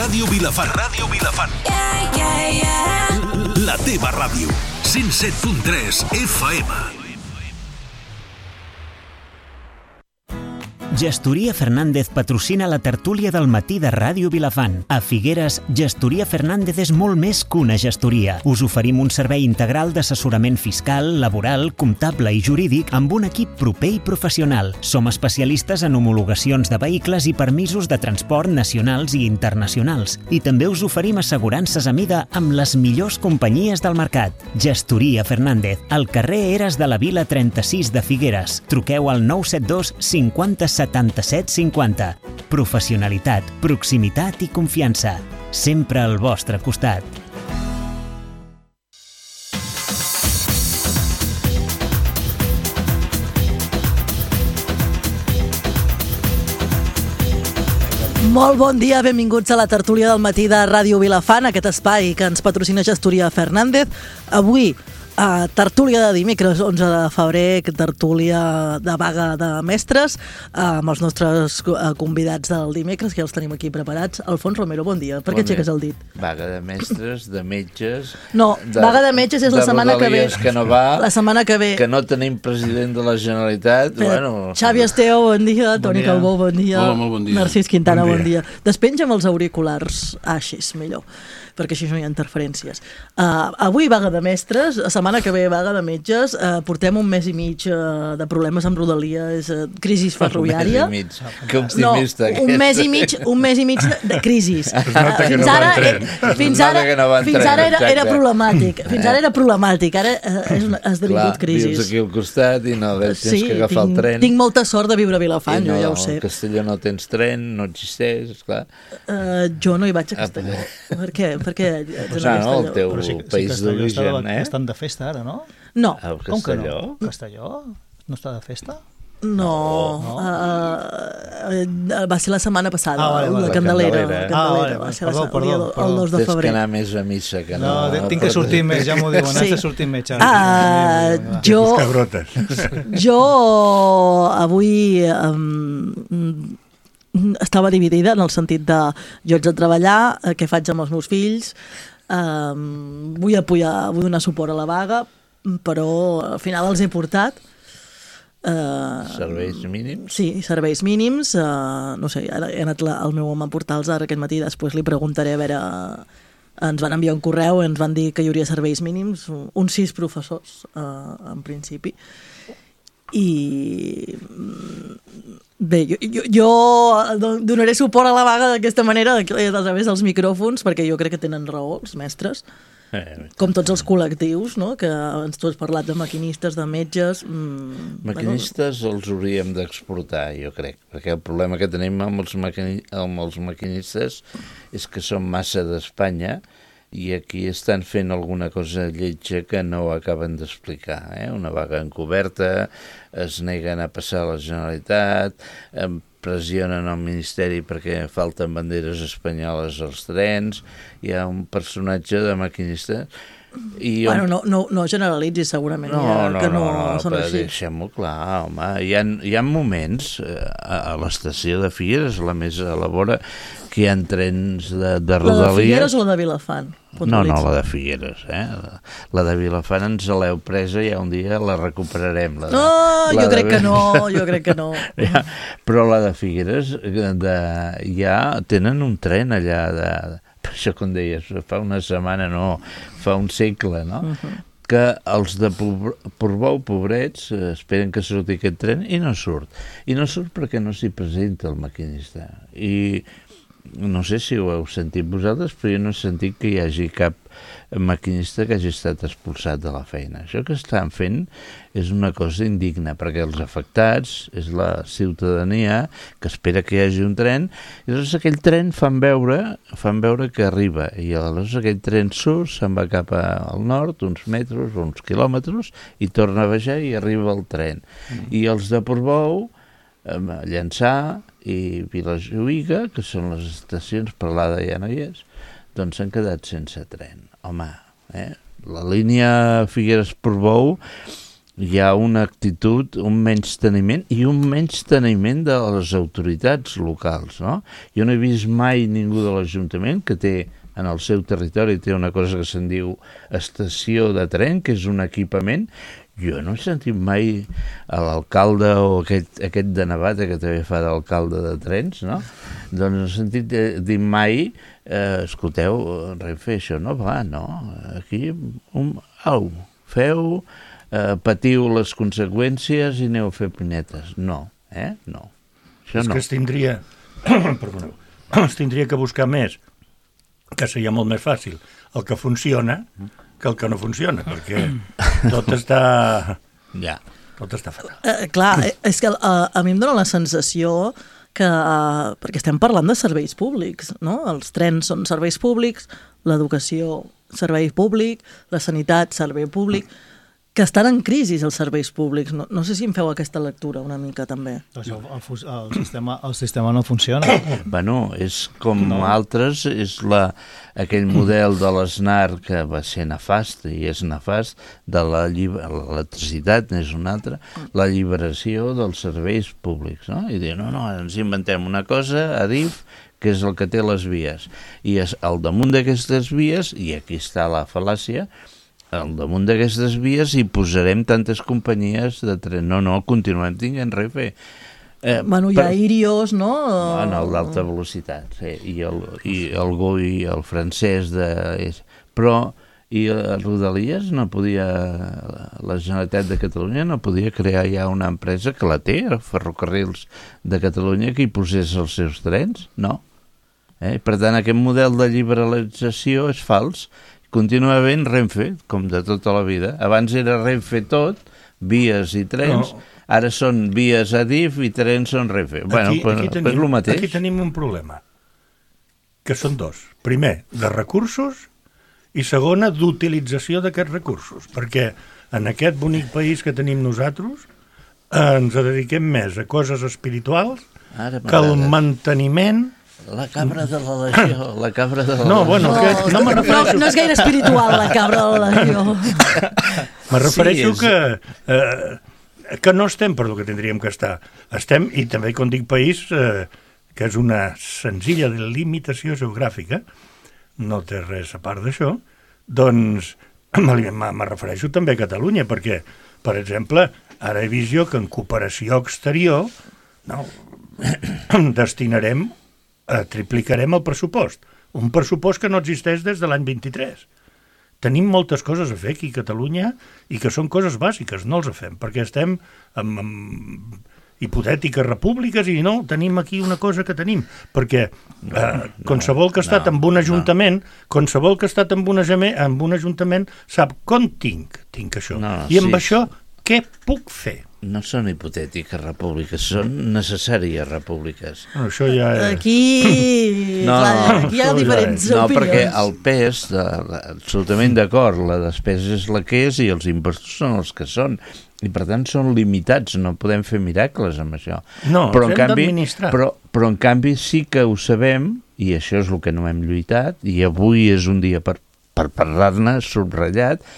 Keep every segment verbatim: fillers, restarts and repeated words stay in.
Ràdio Vilafant. Ràdio Vilafant. Yeah, yeah, yeah. La teva ràdio. cent set punt tres F M. Gestoria Fernández patrocina la tertúlia del matí de Ràdio Vilafant. A Figueres, Gestoria Fernández és molt més que una gestoria. Us oferim un servei integral d'assessorament fiscal, laboral, comptable i jurídic amb un equip proper i professional. Som especialistes en homologacions de vehicles i permisos de transport nacionals i internacionals. I també us oferim assegurances a mida amb les millors companyies del mercat. Gestoria Fernández, al carrer Eres de la Vila trenta-sis de Figueres. Truqueu al nou set dos cinquanta setanta-set cinquanta. Professionalitat, proximitat i confiança. Sempre al vostre costat. Molt bon dia, benvinguts a la tertúlia del matí de Ràdio Vilafant, aquest espai que ens patrocina Gestoria Fernández. Avui, a tertúlia de dimecres, onze de febrer, tertúlia de vaga de mestres, amb els nostres convidats del dimecres, que ja els tenim aquí preparats. Alfons Romero, bon dia. Per què aixeques el dit? Vaga de mestres, de metges... No, de, vaga de metges és la setmana que ve. Que no va, la setmana que ve. Que no tenim president de la Generalitat. Però, bueno... Xavi Esteo, bon dia. Bon Toni dia. Calbó, bon dia. Hola, molt bon dia. Narcís Quintana, bon dia. Bon dia. Despenja'm els auriculars. Ah, així és millor, perquè així no hi ha interferències. Uh, avui vaga de mestres, la setmana que ve vaga de metges, uh, portem un mes i mig uh, de problemes amb Rodalies, uh, crisi ferroviària. Un mes i mig, que optimista. No, un mes i mig, un mes i mig de, de crisis. Uh, fins no ara, tren. fins ara, que no fins ara era, exacte. era problemàtic. Fins ara era problemàtic, ara uh, és una, ha esdevingut Clar, crisis. vius aquí al costat i no, tens sí, que agafar tinc, el tren. Tinc molta sort de viure a Vilafant, no, jo ja ho sé. A Castelló no tens tren, no existeix, esclar. Uh, jo no hi vaig a Castelló. Ah, per què? Per què? No, no, el teu Però sí, país sí, d'origen, eh? Estan de festa ara, no? No. A Com que Castelló? no? Castelló? No està de festa? No, no. Uh, uh, va ser la setmana passada, Ah, vale, vale. la La Candelera, Candelera, la eh? Candelera, Ah, vale, va ser perdó, la, perdó, el, dia, perdó. el dos de Tens que febrer. anar més a missa que no. No, tinc que sortir més, ja m'ho diuen, Sí. has de sortir més, Xavi. Uh, jo, jo avui um, estava dividida en el sentit de jo haig de treballar, eh, què faig amb els meus fills, um, vull apoyar, vull donar suport a la vaga, però al final els he portat. Uh, Serveis mínims? Sí, serveis mínims. Uh, no sé, ara he anat la, el meu home a portar-los ara aquest matí, després li preguntaré a veure... Ens van enviar un correu i ens van dir que hi hauria serveis mínims, uns sis professors, uh, en principi. I... Bé, jo, jo, jo donaré suport a la vaga d'aquesta manera, a través dels micròfons, perquè jo crec que tenen raó els mestres. Eh, Com tots els col·lectius, no? Que ens tu has parlat de maquinistes, de metges... Mmm, Maquinistes bueno. Els hauríem d'exportar, jo crec, perquè el problema que tenim amb els, maquini... amb els maquinistes és que són massa d'Espanya i aquí estan fent alguna cosa lletja que no acaben d'explicar. Eh? Una vaga encoberta, es neguen a passar a la Generalitat, pressionen el Ministeri perquè falten banderes espanyoles als trens, hi ha un personatge de maquinista... I bueno, no, no, no generalitzis, segurament, no, ja, no, que no, no, no són però així. deixem-ho clar, home. Hi ha, hi ha moments a, a l'estació de Figueres, la més a la vora, que hi ha trens de, de Rodalies... La de Figueres o la de Vilafant? No, no, la de Figueres. Eh? La, la de Vilafant ens l'heu presa i ja un dia la recuperarem. La de, no, la jo crec de... que no, jo crec que no. ja, però la de Figueres de, ja tenen un tren allà de... Per això, com deies, fa una setmana, no, fa un segle, no? Uh-huh. Que els de Portbou, pobrets, esperen que surti aquest tren i no surt. I no surt perquè no s'hi presenta el maquinista. I no sé si ho heu sentit vosaltres, però jo no he sentit que hi hagi cap maquinista que hagi estat expulsat de la feina. Això que estan fent és una cosa indigna, perquè els afectats és la ciutadania que espera que hi hagi un tren, i llavors aquell tren fan veure, fan veure que arriba, i llavors aquell tren surt, se'n va cap al nord, uns metres, uns quilòmetres, i torna a baixar i arriba el tren. Mm. I els de Portbou, Llançà i Vilajuïga, que són les estacions, Peralada ja no hi és, doncs s'han quedat sense tren. Home, eh? La línia Figueres-Portbou hi ha una actitud, un menysteniment i un menysteniment de les autoritats locals, no? Jo no he vist mai ningú de l'Ajuntament que té en el seu territori té una cosa que se'n diu estació de tren, que és un equipament. Jo no he sentit mai a l'alcalde o aquest, aquest de Navata que també fa d'alcalde de trens, no? Doncs no he sentit dir mai, eh, escolteu, Renfe, això no va, no? Aquí, un, au, feu, eh, patiu les conseqüències i aneu a fer pinetes. No, eh? No. Això és no. que es tindria, perdoneu, es tindria que buscar més, que seria molt més fàcil el que funciona que el que no funciona, perquè tot està... Ja. Tot està fatal. Eh, clar, és que a, a mi em dóna la sensació que... Uh, perquè estem parlant de serveis públics, no? Els trens són serveis públics, l'educació, servei públic, la sanitat, servei públic, que estan en crisi els serveis públics. No, no sé si em feu aquesta lectura una mica, també. Doncs el, el, el, sistema, el sistema no funciona. Bueno, és com no. altres, és la, aquell model de l'Snar que va ser nefast, i és nefast, de la l'electricitat, n'és un altre, la lliberació dels serveis públics, no? I dir, no, no, ens inventem una cosa, Adif, que és el que té les vies. I és al damunt d'aquestes vies, i aquí està la fal·làcia, al damunt d'aquestes vies hi posarem tantes companyies de tren. No, no, continuem tinguent Renfe. Eh, bueno, hi ha Irios, no? Bueno, el d'alta velocitat, sí, i el, i el Goi, el francès de... Però, i a Rodalies no podia... La Generalitat de Catalunya no podia crear ja una empresa que la té, Ferrocarrils de Catalunya, que hi posés els seus trens? No. Eh? Per tant, aquest model de liberalització és fals. Continua havent Renfe, com de tota la vida. Abans era Renfe tot, vies i trens, no. Ara són vies Adif i trens són Renfe. Aquí, bueno, però, aquí, tenim, però és el mateix. Aquí tenim un problema, que són dos. Primer, de recursos, i segona, d'utilització d'aquests recursos, perquè en aquest bonic país que tenim nosaltres eh, ens dediquem més a coses espirituals ara que al manteniment... La cabra de la legió, la cabra de la no, legió. Bueno, no, que, no, no, no és gaire espiritual, la cabra de la legió. Me refereixo sí, és... que, eh, que no estem per el que tindríem que estar. Estem, i també quan dic país, eh, que és una senzilla limitació geogràfica, no té res a part d'això, doncs me, me refereixo també a Catalunya, perquè, per exemple, ara he vist jo que en cooperació exterior no, destinarem Eh, triplicarem el pressupost. Un pressupost que no existeix des de l'any vint-i-tres. Tenim moltes coses a fer aquí a Catalunya i que són coses bàsiques, no els fem, perquè estem en, en hipotètiques repúbliques i no, tenim aquí una cosa que tenim, perquè eh, qualsevol que ha estat no, en un ajuntament, no. qualsevol que ha estat en un, en un ajuntament sap com tinc, tinc això. No, I amb sí. això què puc fer? No són hipotètiques repúbliques, són necessàries repúbliques. No, això ja és... Aquí, no, clar, no, aquí hi ha diferents no, opinions. No, perquè el pes, de, absolutament d'acord, la despesa és la que és i els impostos són els que són. I per tant són limitats, no podem fer miracles amb això. No, però, els en hem canvi, d'administrar. però, però en canvi sí que ho sabem, i això és el que no hem lluitat, i avui és un dia per, per parlar-ne, subratllat,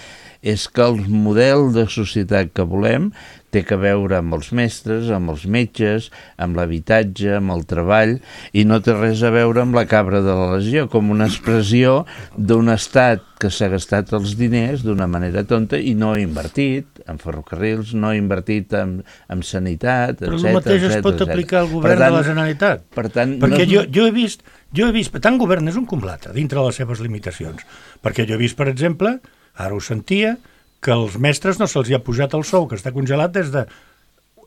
és que el model de societat que volem té que veure amb els mestres, amb els metges, amb l'habitatge, amb el treball, i no té res a veure amb la cabra de la legió, com una expressió d'un estat que s'ha gastat els diners d'una manera tonta i no ha invertit en ferrocarrils, no ha invertit en, en sanitat, etcètera. Però el mateix es pot aplicar al govern tant, de la Generalitat. Per tant, perquè no... jo, jo he vist, jo he vist, tant govern és un com l'altre, dintre de les seves limitacions. Perquè jo he vist, per exemple, ara ho sentia, que als mestres no se'ls hi ha pujat el sou, que està congelat des de...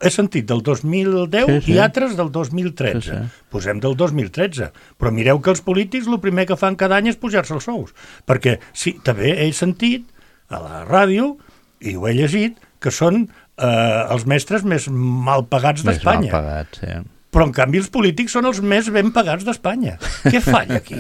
He sentit del dos mil deu sí, sí. i altres del dos mil tretze. Sí, sí. Posem del dos mil tretze. Però mireu que els polítics el primer que fan cada any és pujar-se els sous. Perquè sí, també he sentit a la ràdio, i ho he llegit, que són eh, els mestres més mal pagats d'Espanya. Més mal pagats, sí. però en canvi els polítics són els més ben pagats d'Espanya. Què falla aquí?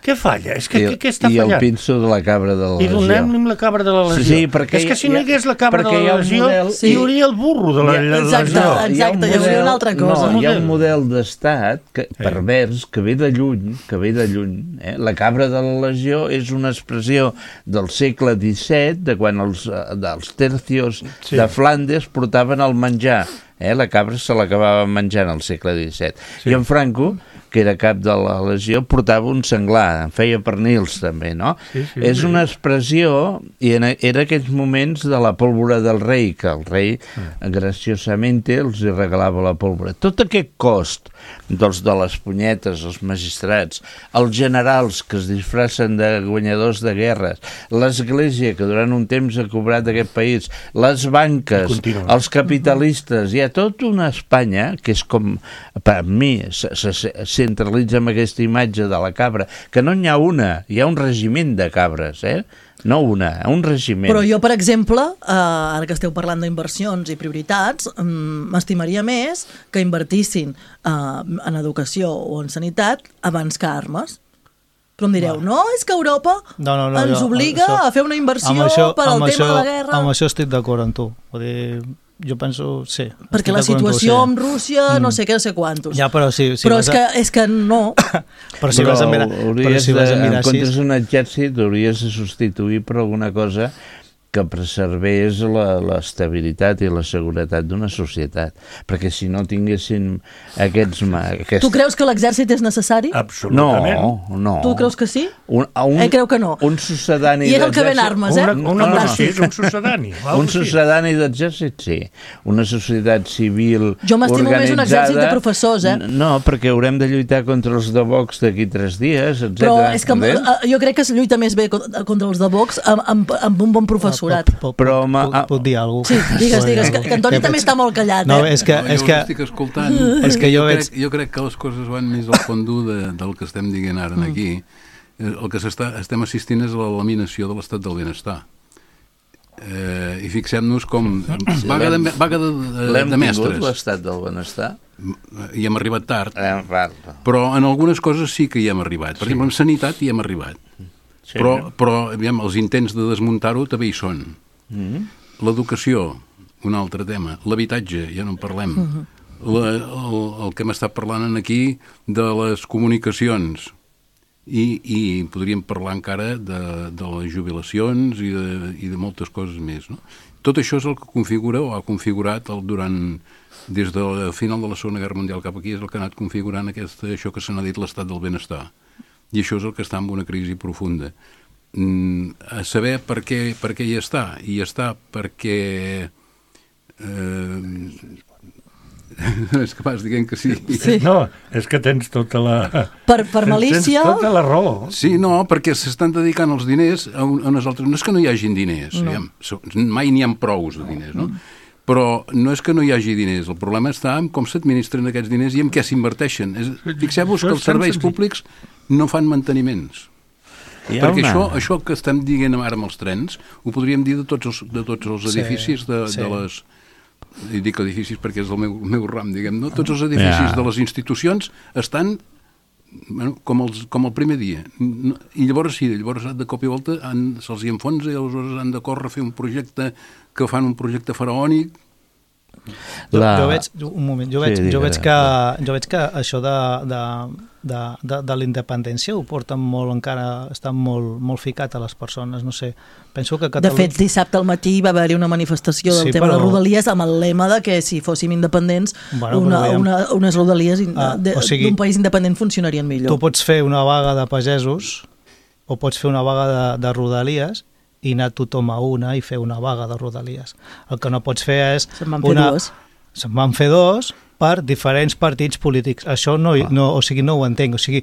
Què falla? És que, I, què, què està I fallant? el pinso de la cabra de la I legió. donem-li la cabra de la legió. Sí, perquè és que si no hi hagués la cabra de perquè hi ha la un legió, model- hi hauria el burro de la, la Exacte, legió. exacte, hi hauria una altra cosa. No, hi ha un model d'estat que, pervers que ve de lluny, que ve de lluny. Eh? La cabra de la legió és una expressió del segle disset, de quan els, dels tercios Sí. de Flandes portaven el menjar. Eh? La cabra se l'acabava menjant al segle disset. Sí. I en Franco, que era cap de la legió, portava un senglar, en feia pernils també, no? Sí, sí, és sí. una expressió, i en, era aquells moments de la pólvora del rei, que el rei mm. graciosamente els hi regalava la pólvora. Tot aquest cost dels de les punyetes, els magistrats, els generals que es disfracen de guanyadors de guerres, l'església que durant un temps ha cobrat aquest país, les banques, els capitalistes, hi ha tota una Espanya que és com, per mi, se, se, se centralitza amb aquesta imatge de la cabra, que no n'hi ha una, hi ha un regiment de cabres, eh? No una, un regiment. Però jo, per exemple, eh, ara que esteu parlant d'inversions i prioritats, mm, m'estimaria més que invertissin eh, en educació o en sanitat abans que armes. Però em direu, no, és que Europa No, no, no, ens jo- obliga això- a fer una inversió amb això, per al amb tema això, de la guerra. Amb això estic d'acord amb tu. Vull dir, jo penso, sí. Perquè estic la d'acord amb tu, situació sí. amb Rússia, no sé què, no sé quantos. Ja, però sí, sí, però vas és a- que, és que no. Però si vas a mirar, però si vas a mirar en comptes així... d'un exèrcit, hauries de substituir per alguna cosa que preservés la- l'estabilitat i la seguretat d'una societat. Perquè si no tinguessin aquests... ma- Aquest... Tu creus que l'exèrcit és necessari? Absolutament. No, no. Tu creus que sí? Un, a un, Ell creu que no. Un sucedani I és el que ven d'exèrcit- armes, eh? Una, una No, no, cosa és un sucedani. Un sucedani d'exèrcit, sí. Una societat civil Jo m'estimo més un exèrcit de professors, eh? No, perquè haurem de lluitar contra els de Vox d'aquí tres dies, etcètera. Però és que Entens? eh, jo crec que es lluita més bé contra contra els de Vox amb, amb, amb un bon professorat. Puc, Però, puc, ma- puc, puc dir alguna cosa? Sí, digues, digues, que, que Antoni també està molt callat, No, eh? és que... No, És jo que us estic escoltant. és que jo jo, veig- crec, jo crec que les coses van més al fondú de, del que estem dient ara aquí. El que s'està, estem assistint és a la laminació de l'estat del benestar. Eh, I fixem-nos com... Vaga de, vaga de, de, L'hem de tingut, mestres. l'estat del benestar? I hem arribat tard. Eh, va, Però en algunes coses sí que hi hem arribat. Per exemple, en sanitat hi hem arribat. sí, Però, però aviam, els intents de desmuntar-ho també hi són. Mm. L'educació, un altre tema. L'habitatge, ja no en parlem. La, el, el que hem estat parlant aquí de les comunicacions. I, i podríem parlar encara de, de les jubilacions i de, i de moltes coses més. No? Tot això és el que configura o ha configurat el, durant, des del final de la Segona Guerra Mundial cap aquí, és el que ha anat configurant aquesta, això que se n'ha dit l'estat del benestar. I això és el que està en una crisi profunda. Mm, a saber per què, per què hi està. I hi està perquè... Eh, és que vas dient que sí. Sí. No, és que tens tota la... Per, per malícia... Tens tota la raó. Sí, no, perquè s'estan dedicant els diners a, un, a unes altres... No és que no hi hagin diners, no. Diguem, mai n'hi ha prous de diners, no? Però no és que no hi hagi diners, el problema està en com s'administren aquests diners i en què s'inverteixen. És- Fixeu-vos que els serveis públics no fan manteniments. Hi ha Perquè una- això, això que estem dient ara amb els trens, ho podríem dir de tots els, de tots els Sí, edificis de, sí. de les... I dic edificis perquè és el meu, el meu ram, diguem, no? Tots els edificis Ja. de les institucions estan bueno, com, els, com el primer dia. No, I llavors sí, llavors de cop i volta han, se'ls hi enfonsa i aleshores han de córrer a fer un projecte que fan un projecte faraònic. Jo, La- jo veig, un moment, jo Sí, veig, digue, jo veig, digue. que, jo veig que això de, de, de, de, de la independència ho porten molt encara, està molt, molt ficat a les persones, no sé, penso que De Catalunya... fet, dissabte al matí va haver-hi una manifestació del Sí, tema però- de Rodalies amb el lema de que si fóssim independents, Bueno, una, però veiem- una, unes Rodalies in- Ah, de- o sigui, d'un país independent funcionarien millor. Tu pots fer una vaga de pagesos o pots fer una vaga de, de rodalies i anar tothom a una i fer una vaga de rodalies. El que no pots fer és... Se'n van fer una... dues. Se'n van fer dos per diferents partits polítics. Això no, no, o sigui, no ho entenc. O sigui,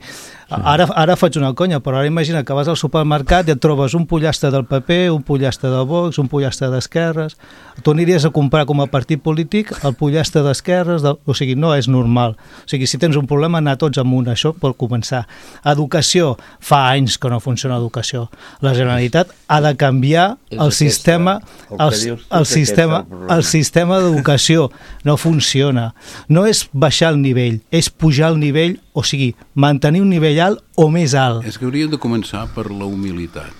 ara, ara faig una conya, però ara imagina que vas al supermercat i et trobes un pollastre del P P, un pollastre de Vox, un pollastre d'esquerres. Tu aniries a comprar com a partit polític el pollastre d'esquerres, del... o sigui, no és normal. O sigui, si tens un problema, anar tots amb un, això per començar. Educació, fa anys que no funciona l'educació. La Generalitat ha de canviar És el aquesta, sistema, el que el, dius tu, el és aquest sistema, el problema. el sistema d'educació no funciona. no és baixar el nivell, és pujar el nivell, o sigui, mantenir un nivell alt o més alt. És que hauríem de començar per la humilitat.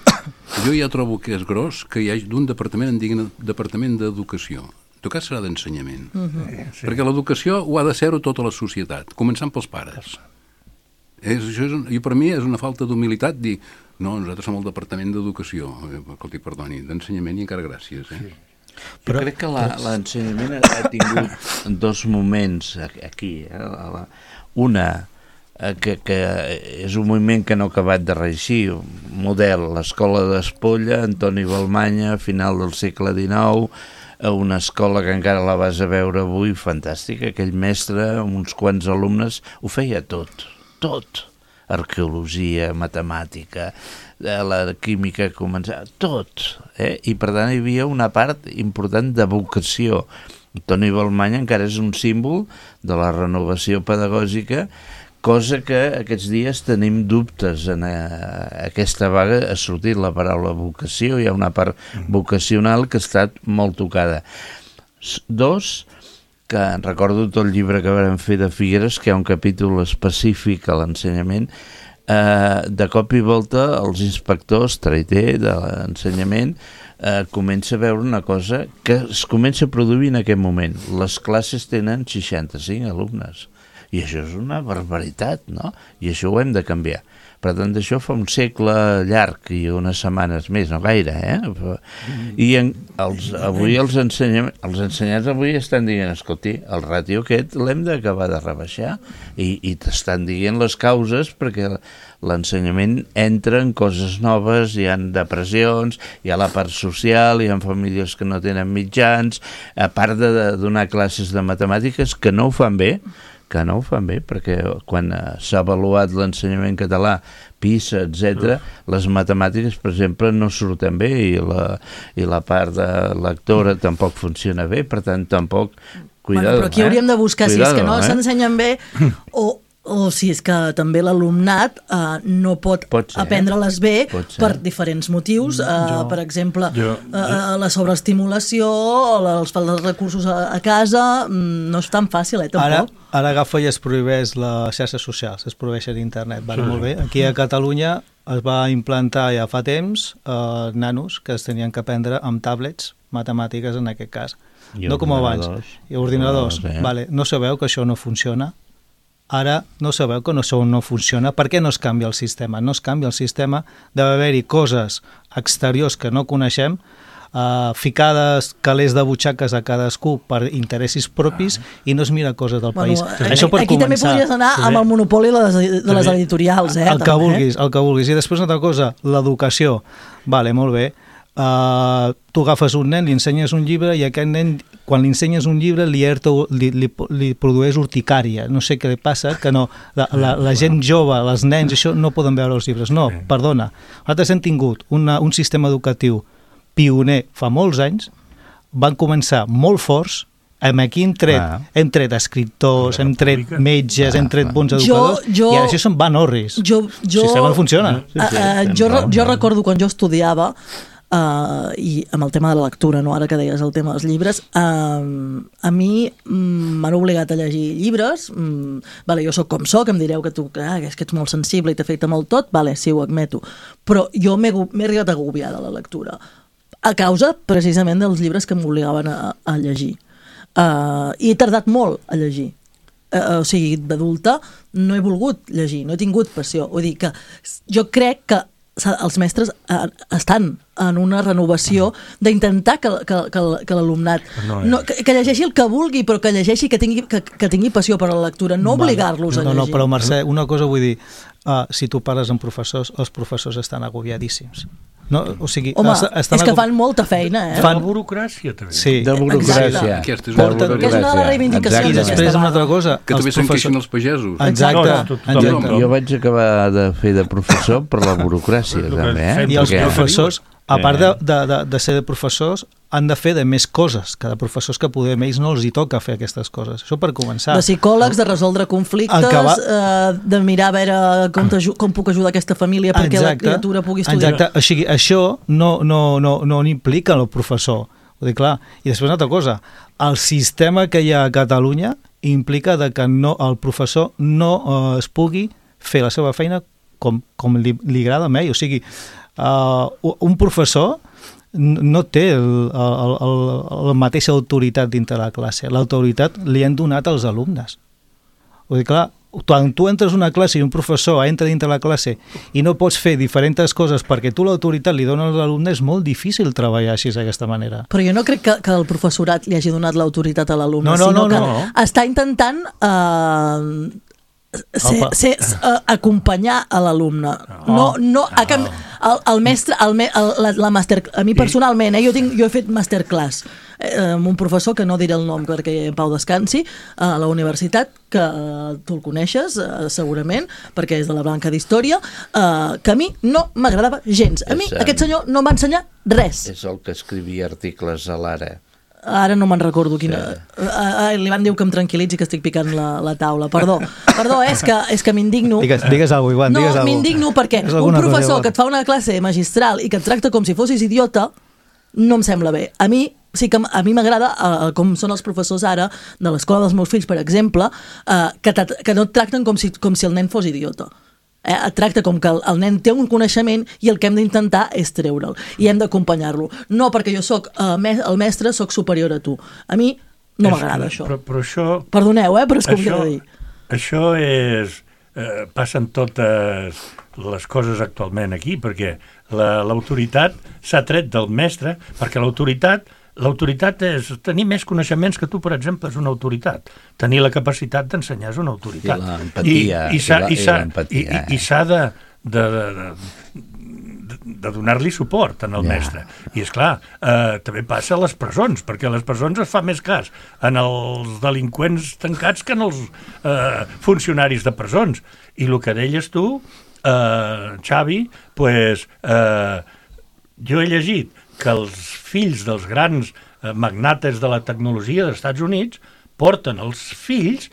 Jo ja trobo que és gros que hi hagi d'un departament, en diguin departament d'educació. En tot cas serà d'ensenyament. Uh-huh. Sí. Perquè l'educació ho ha de ser-ho tota la societat, començant pels pares. És, això és, I per mi és una falta d'humilitat dir, no, nosaltres som el departament d'educació, escolti, perdoni, d'ensenyament i encara gràcies. Eh? Sí. Però jo crec que la, l'ensenyament ha tingut dos moments aquí. Eh? Una, que, que és un moviment que no ha acabat de reeixir, un model, l'escola d'Espolla, Antoni Balmanya, final del segle dinou, una escola que encara la vas a veure avui, fantàstica, aquell mestre, amb uns quants alumnes, ho feia tot, tot. Arqueologia, matemàtica, la química començava, tot. Eh? I per tant hi havia una part important de vocació. Toni Balmanya encara és un símbol de la renovació pedagògica, cosa que aquests dies tenim dubtes. En aquesta vaga ha sortit la paraula vocació, hi ha una part vocacional que ha estat molt tocada. Dos, que recordo tot el llibre que vam fer de Figueres, que hi ha un capítol específic a l'ensenyament, eh, de cop i volta els inspectors, traiter de l'ensenyament, eh, comença a veure una cosa que es comença a produir en aquest moment. Les classes tenen seixanta-cinc alumnes, i això és una barbaritat, no? I això ho hem de canviar. Per tant, això fa un segle llarg i unes setmanes més, no gaire, eh? I en, els, avui els, ensenyam, els ensenyants avui estan dient, escolti, el ràtio aquest l'hem d'acabar de rebaixar, i, i t'estan dient les causes perquè l'ensenyament entra en coses noves, hi ha depressions, hi ha la part social, hi ha famílies que no tenen mitjans, a part de, de donar classes de matemàtiques que no ho fan bé, que no ho fan bé, perquè quan s'ha avaluat l'ensenyament català, PISA, etcètera, les matemàtiques, per exemple, no surten bé, i la, i la part de lectora tampoc funciona bé, per tant, tampoc... Cuidado, bueno, però aquí eh? hauríem de buscar Cuidado, si és que no eh? s'ensenyen bé o... o si és que també l'alumnat eh, no pot, pot aprendre-les bé per diferents motius, eh, jo, per exemple jo, jo. Eh, la sobreestimulació o els falta de recursos a, a casa, no és tan fàcil, eh, tampoc. Ara, ara agafa i es prohibeix les xarxes socials, es prohibeixen internet, vale, sí, molt bé. Aquí a Catalunya es va implantar ja fa temps eh, nanos que es tenien que aprendre amb tablets matemàtiques en aquest cas, I no com abans. I ordinadors, oh, vale. No sabeu que això no funciona? Ara no sabeu que no, no funciona. Per què no es canvia el sistema? No es canvia el sistema, deve haver-hi coses exteriors que no coneixem, uh, ficades calés de butxaques a cadascú per interessos propis, ah. i no es mira coses del bueno, país. Això per aquí començar, també podries anar sí. amb el monopoli de les, de les editorials. Eh, el que també. vulguis, el que vulguis. I després una altra cosa, l'educació. Vale, molt bé. Uh, tu agafes un nen, li ensenyes un llibre i aquest nen, quan li ensenyes un llibre li, li, li, li produeix urticària, no sé què li passa, que no, la, la, la gent jove, els nens, això no poden veure els llibres, no, perdona, nosaltres hem tingut una, un sistema educatiu pioner fa molts anys, van començar molt forts, aquí hem tret, ah. hem tret escriptors, hem tret metges, ah. hem tret bons educadors, jo, jo, i ara això se'n van orris. Jo, jo, el sistema no funciona. Sí, sí, uh, uh, jo, jo recordo quan jo estudiava, Uh, i amb el tema de la lectura, no? Ara que deies el tema dels llibres, uh, a mi um, m'han obligat a llegir llibres, um, vale, jo sóc com sóc, em direu que tu ah, és que ets molt sensible i t'afecta molt tot, vale, sí, ho admeto, però jo m'he, m'he arribat a agobiar de la lectura, a causa precisament dels llibres que m'obligaven a, a llegir. Uh, I he tardat molt a llegir. Uh, o sigui, d'adulta no he volgut llegir, no he tingut passió. Vull dir que jo crec que els mestres estan en una renovació d'intentar que, que, que, que l'alumnat no, no, que, que llegeixi el que vulgui, però que llegeixi, que tingui, que, que tingui passió per a la lectura, no vale. obligar-los a llegir. No, no, però Mercè, una cosa vull dir, uh, si tu parles amb professors, els professors estan agobiadíssims. No, o sigui, Home, estan és que fan molta feina, eh? Fan burocràcia, també. Sí. De burocràcia. Aquesta és, Porta, que és una de les reivindicacions. I després una altra cosa. Que també se'n queixen els pagesos. Exacte. No, no, exacte. Jo vaig acabar de fer de professor per la burocràcia, també. Eh? I els professors, a part de, de, de, de ser de professors, han de fer de més coses que de professors que poder ells no els hi toca fer aquestes coses. Això per començar. De psicòlegs, de resoldre conflictes, va... eh, de mirar a veure com, com puc ajudar aquesta família perquè exacte, la criatura pugui estudiar. Exacte. O sigui, això no, no, no, no implica el professor. Vull dir, clar. I després una altra cosa. El sistema que hi ha a Catalunya implica de que no, el professor no eh, es pugui fer la seva feina com, com li, li agrada a ell. O sigui, uh, un professor no té el, el, el, la mateixa autoritat dintre la classe. L'autoritat li han donat als alumnes. Vull dir, clar, quan tu entres a una classe i un professor entra dintre la classe i no pots fer diferents coses perquè tu l'autoritat li dones als alumnes, és molt difícil treballar així d'aquesta manera. Però jo no crec que, que el professorat li hagi donat l'autoritat a l'alumne, no, no, sinó no, que no. està intentant eh, ser, ser, uh, acompanyar a l'alumne. No, no, a que, el, el mestre, el, el, la, la master, a mi personalment, eh, jo, tinc, jo he fet masterclass eh, amb un professor, que no diré el nom perquè en pau descansi, a la universitat, que eh, tu el coneixes eh, segurament, perquè és de la branca d'Història, eh, que a mi no m'agradava gens. A mi és, aquest senyor no em va ensenyar res. És el que escrivia articles a l'Ara. Ara no me'n recordo quina... Sí. Uh, li van dir que em tranquil·litzi, que estic picant la, la taula. Perdó, perdó, eh, és que, és que m'indigno. Digues, digues alguna cosa, Ivan, digues no, alguna cosa. M'indigno perquè un professor que et fa una classe magistral i que et tracta com si fossis idiota, no em sembla bé. A mi sí que a mi m'agrada, uh, com són els professors ara de l'escola dels meus fills, per exemple, uh, que, que no et tracten com si, com si el nen fos idiota. Eh, et tracta com que el, el nen té un coneixement i el que hem d'intentar és treure'l i hem d'acompanyar-lo. No perquè jo soc uh, me el mestre, soc superior a tu. A mi no m'agrada això. Però, però això. Perdoneu, eh, però és com això, que dir. Això és... Eh, passen totes les coses actualment aquí, perquè l'autoritat la, s'ha tret del mestre, perquè l'autoritat L'autoritat és tenir més coneixements que tu, per exemple, és una autoritat. Tenir la capacitat d'ensenyar és una autoritat. I l'empatia. I, i s'ha i i, i, i s'ha de, de, de, de, de donar-li suport al yeah. mestre. I, esclar, eh, també passa a les presons, perquè a les presons es fa més cas en els delinqüents tancats que en els eh, funcionaris de presons. I el que deies tu, eh, Xavi, pues, eh, jo he llegit que els fills dels grans eh, magnates de la tecnologia dels Estats Units porten els fills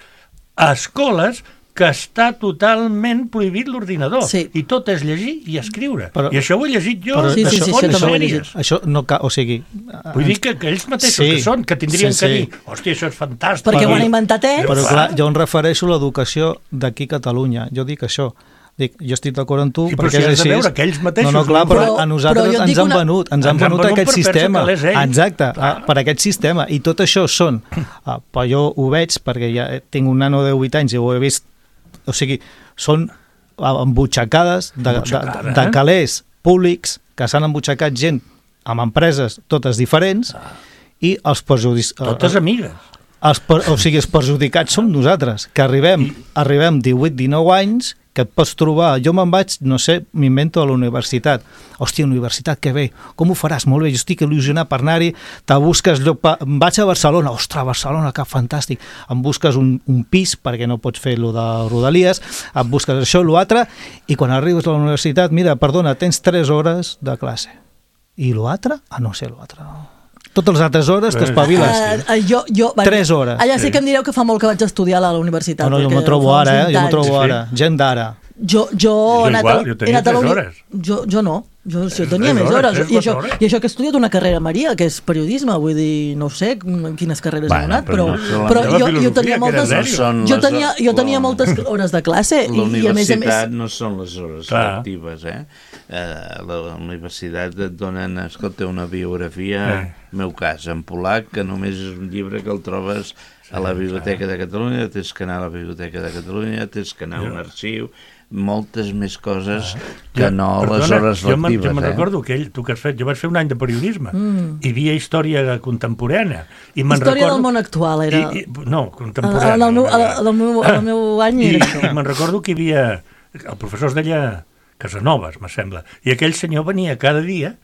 a escoles que està totalment prohibit l'ordinador. Sí. I tot és llegir i escriure. Però, I això ho he llegit jo però, sí, de sí, sí, fonts això sèries. Això no cal, o sigui... Vull dir que, que ells mateixos sí, que són, que tindrien sí, que sí. dir hòstia, això és fantàstic. Perquè però, ho han inventat ells. Però clar, jo em refereixo a l'educació d'aquí a Catalunya. Jo dic això. Dic, jo estic d'acord amb tu, sí, perquè si és així. Veure que ells mateixos, no, no, clar, però, però a nosaltres però ens han una... venut, ens han ens venut venut aquest per sistema. Exacte, clar. per aquest sistema. I tot això són... Ah, però jo ho veig, perquè ja tinc un nano de vuit anys i ho he vist... O sigui, són embutxacades de, de, de, de calés públics que s'han embutxacat gent amb empreses totes diferents ah. i els perjudicis... Totes amigues. Els, o sigui, els perjudicats som nosaltres, que arribem, arribem divuit dinou anys, que et pots trobar... Jo me'n vaig, no sé, m'invento a la universitat. Hòstia, universitat, que bé. Com ho faràs? Molt bé, jo estic il·lusionat per anar-hi. Te busques lloc... Pa... Vaig a Barcelona. Ostres, Barcelona, que fantàstic. Em busques un, un pis, perquè no pots fer lo de Rodalies, et busques això, l'altre, i quan arribes a la universitat, mira, perdona, tens tres hores de classe. I l'altre? Ah, no sé, l'altre. Totes les altres hores t'espaviles. Uh, uh, jo, jo, Tres hores. Allà sí que em direu que fa molt que vaig estudiar a la universitat. No, no, jo m'ho trobo ara, eh? Jo m'ho trobo ara. Gent d'ara. Jo, jo, jo he anat igual, a, jo tenia tres hores. Jo, jo no, jo, jo tenia més hores, hores. I això, I això que he estudiat una carrera, Maria, que és periodisme, vull dir, no sé quines carreres bueno, he anat, però, però, no però jo, jo tenia moltes, no jo tenia, jo tenia moltes hores de classe. La i, i a més a més... no són les hores Clar. lectives, eh? Uh, la universitat et donen, escolta, una biografia, eh. meu cas, en polac, que només és un llibre que el trobes a la Biblioteca de Catalunya, tens que anar a la Biblioteca de Catalunya, tens que anar a un arxiu, moltes més coses ah. que jo, no perdona, les hores lectives. Jo me'n eh? recordo que ell, tu que has fet, jo vaig fer un any de periodisme, mm. hi havia història contemporània. I història recordo, del món actual, era... I, i, no, contemporània. En el meu, el meu, el meu any I, era això. I me'n recordo que hi havia... El professor es deia Casanovas, me sembla, i aquell senyor venia cada dia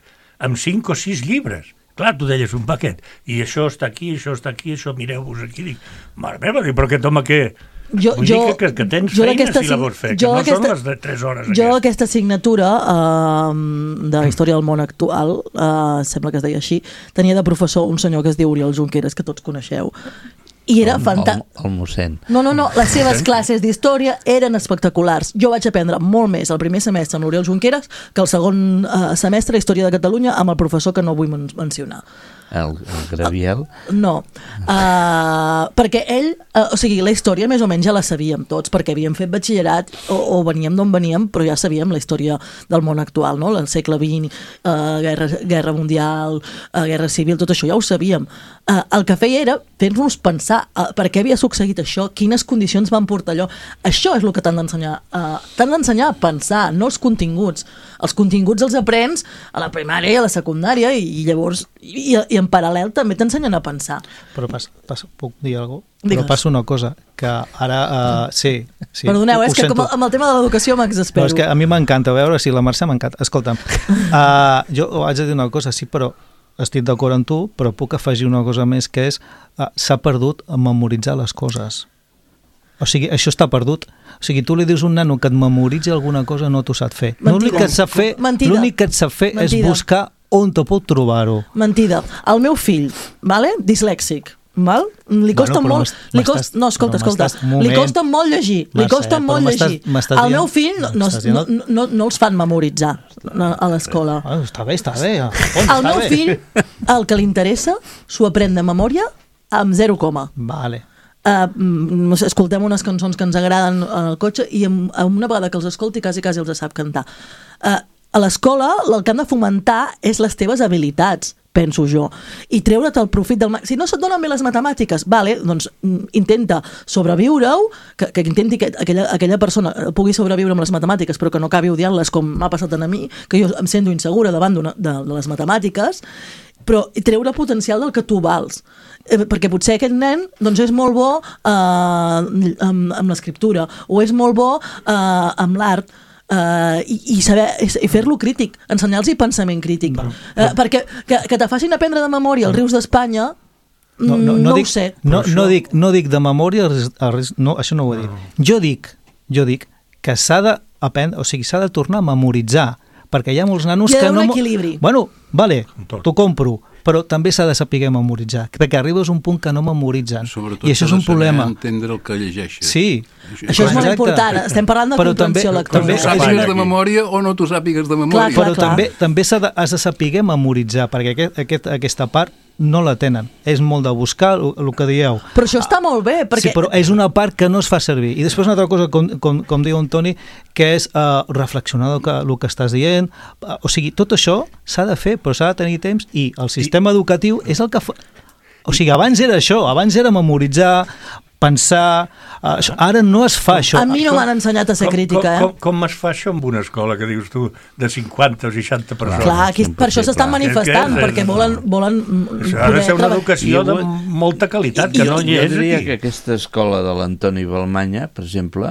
amb cinc o sis llibres. Clar, tu deies un paquet, i això està aquí, això està aquí, això mireu-vos aquí. Dic, mare meva, dic, però aquest home què... Jo, Vull jo, dir que, que tens feina si la vols fer, que no són les de tres hores. Jo aquesta assignatura uh, de la història del món actual, uh, sembla que es deia així, tenia de professor un senyor que es diu Oriol Junqueras, que tots coneixeu, i era fantàstic. El, el mossèn. No, no, no, les seves classes d'història eren espectaculars. Jo vaig aprendre molt més el primer semestre amb l'Oriol Junqueras que el segon uh, semestre d'Història de Catalunya amb el professor que no vull men mencionar. El, el Graviel? No, uh, perquè ell, uh, o sigui, la història més o menys ja la sabíem tots, perquè havíem fet batxillerat o, o veníem d'on veníem, però ja sabíem la història del món actual, no? El segle vint, uh, guerra, guerra mundial, uh, guerra civil, tot això ja ho sabíem. Uh, el que feia era fer-nos pensar uh, per què havia succeït això, quines condicions van portar allò. Això és el que t'han d'ensenyar. Uh, t'han d'ensenyar a pensar, no els continguts. Els continguts els aprens a la primària i a la secundària i, i llavors i, i en paral·lel també t'ensenyen a pensar. Però pas, pas, puc dir alguna cosa? Digues. Però passa una cosa, que ara... Uh, sí, sí. Perdoneu, ho, és ho que sento. com amb el tema de l'educació m'exaspero. No, és que a mi m'encanta veure, si la Mercè m'encanta. Escolta'm, uh, jo haig de dir una cosa, sí, però estic d'acord amb tu, però puc afegir una cosa més, que és uh, s'ha perdut a memoritzar les coses. O sigui, això està perdut. O sigui, tu li dius a un nano que et memoritzi alguna cosa, no t'ho sap fer. L'únic que et sap fer, l'únic que et sap fer és buscar on te pot trobar-ho. Mentida. El meu fill, vale? Dislèxic, val? Li costa bueno, molt... Li costa, no, escolta, escolta. Moment, li costa molt llegir. Li Mercè, costa molt llegir. El meu fill no, no, no, no, no els fan memoritzar a l'escola. Ah, està bé, està bé. El meu fill, el que li interessa, s'ho aprèn de memòria amb zero coma. Vale. Uh, escoltem unes cançons que ens agraden al cotxe i amb, amb una vegada que els escolti quasi quasi els sap cantar. Uh, a l'escola el que han de fomentar és les teves habilitats, penso jo, i treure't el profit del... Si no se't donen bé les matemàtiques, vale, doncs intenta sobreviure-ho, que, que intenti que aquella, aquella persona pugui sobreviure amb les matemàtiques, però que no acabi odiant-les com m'ha passat a mi, que jo em sento insegura davant de, de les matemàtiques, però treure potencial del que tu vals. Eh, perquè potser aquest nen doncs és molt bo eh, amb, amb l'escriptura, o és molt bo eh, amb l'art, Uh, i, i, saber, i fer-lo crític, ensenyar-los pensament crític, uh, perquè que, que te facin aprendre de memòria els rius d'Espanya no, no, no, no dic, ho sé no, no, dic, no dic de memòria els, els, no, això no ho he dit jo dic, jo dic que s'ha d'aprendre, o sigui, s'ha de tornar a memoritzar, perquè hi ha molts nanos que no... Hi ha un equilibri. Bueno, vale, t'ho compro, però també s'ha de saber memoritzar, perquè arribes a un punt que no memoritzen. Sobretot i això és un problema. Entendre el que llegeixes. Sí. Això, això és molt important. Estem parlant de però comprensió també, lectora. També sàpigues de memòria o no t'ho sàpigues de memòria. Clar, clar, però clar. també, també has de, has de saber memoritzar, perquè aquest, aquest, aquesta part no la tenen. És molt de buscar el, el que dieu. Però això està molt bé, perquè... Sí, però és una part que no es fa servir. I després una altra cosa, com, com, com diu en Toni, que és uh, reflexionar el que, el que estàs dient. Uh, o sigui, tot això s'ha de fer, però s'ha de tenir temps, i el sistema I... educatiu és el que fa... O sigui, abans era això, abans era memoritzar, pensar... Uh, això, ara no es fa això. A mi no m'han ensenyat a ser com, crítica, com, eh? Com, com es fa això en una escola, que dius tu, de cinquanta o seixanta persones? Clar, aquí, per això s'estan manifestant, és, perquè volen, volen això ha de ser una educació de molta qualitat, que no hi és jo diria aquí. que aquesta escola de l'Antoni Balmanya, per exemple,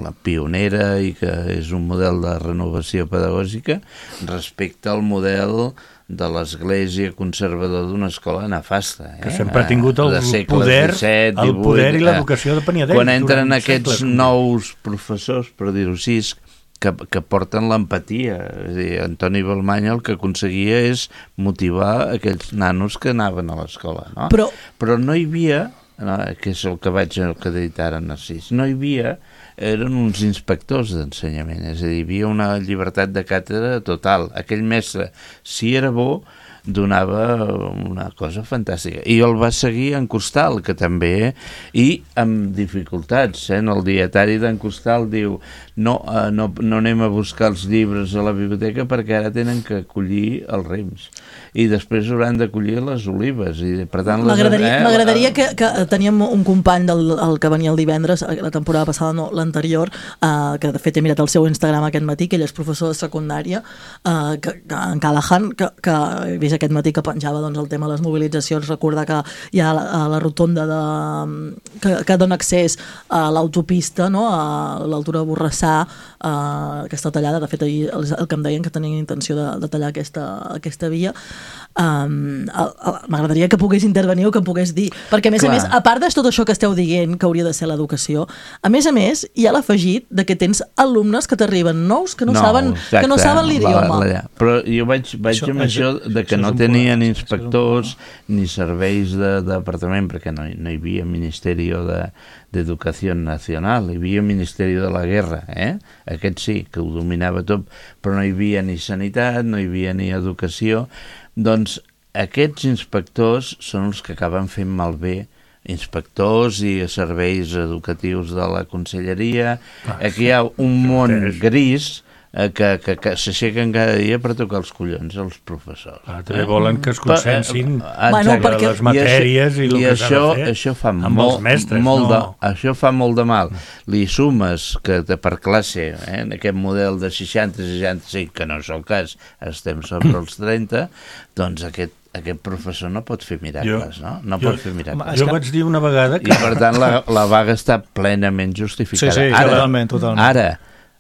la pionera i que és un model de renovació pedagògica, respecte al model de l'església conservador d'una escola nefasta. Eh? Que sempre ha tingut el poder, disset, el divuit, poder i l'educació depenent d'ell. Quan entren aquests nous professors, per dir-ho així, que, que porten l'empatia. És a dir, Antoni Balmanya el que aconseguia és motivar aquells nanos que anaven a l'escola. No? Però... Però no hi havia, no, que és el que vaig el que dit ara Narcís, no hi havia, eren uns inspectors d'ensenyament, és a dir, hi havia una llibertat de càtedra total. Aquell mestre, si era bo, donava una cosa fantàstica. I el va seguir en Costal, que també, i amb dificultats. Eh? En el dietari d'en Costal diu no, eh, no, no anem a buscar els llibres a la biblioteca perquè ara tenen que collir els rems. I després hauran de collir les olives. I, per tant, m'agradaria eh, m'agradaria que, que teníem un company del el que venia el divendres, la temporada passada, no, l'anterior, eh, que de fet he mirat el seu Instagram aquest matí, que ell és professor de secundària, eh, que, que, en Callahan, que, que he vist aquest matí que penjava doncs, el tema de les mobilitzacions, recordar que hi ha la, la rotonda de, que, que dona accés a l'autopista, no? A l'altura de Borrassà, eh, que està tallada. De fet, ahir el, el que em deien que tenien intenció de, de tallar aquesta, aquesta via. Um, m'agradaria que pogués intervenir o que pogués dir, perquè a més Clar. a més, a part de tot això que esteu dient que hauria de ser l'educació, a més a més hi ha l'afegit de que tens alumnes que t'arriben nous que no, no saben exacte, que no saben l'idioma. La, la, però jo vaig, vaig això, amb això, això de que això no tenien problema, inspectors ni serveis de, de departament, perquè no, no hi havia Ministeri de d'Educació Nacional, hi havia Ministeri de la Guerra, eh? Aquest sí, que ho dominava tot, però no hi havia ni sanitat, no hi havia ni educació. Doncs aquests inspectors són els que acaben fent malbé inspectors i serveis educatius de la conselleria. Aquí hi ha un món gris que, que, que s'aixequen cada dia per tocar els collons als professors. Ah, també volen que es consensin eh, bueno, perquè... les matèries i, i, i el que s'ha de fer això fa amb molt, els mestres. Molt no. de, això fa molt de mal. Li sumes que de, per classe, eh, en aquest model de seixanta seixanta-cinc, que no és el cas, estem sobre els trenta, doncs aquest aquest professor no pot fer miracles, jo, no? No jo, pot fer miracles. Jo vaig dir una vegada que... I per tant la, la vaga està plenament justificada. Sí, sí, ara, totalment, totalment. Ara,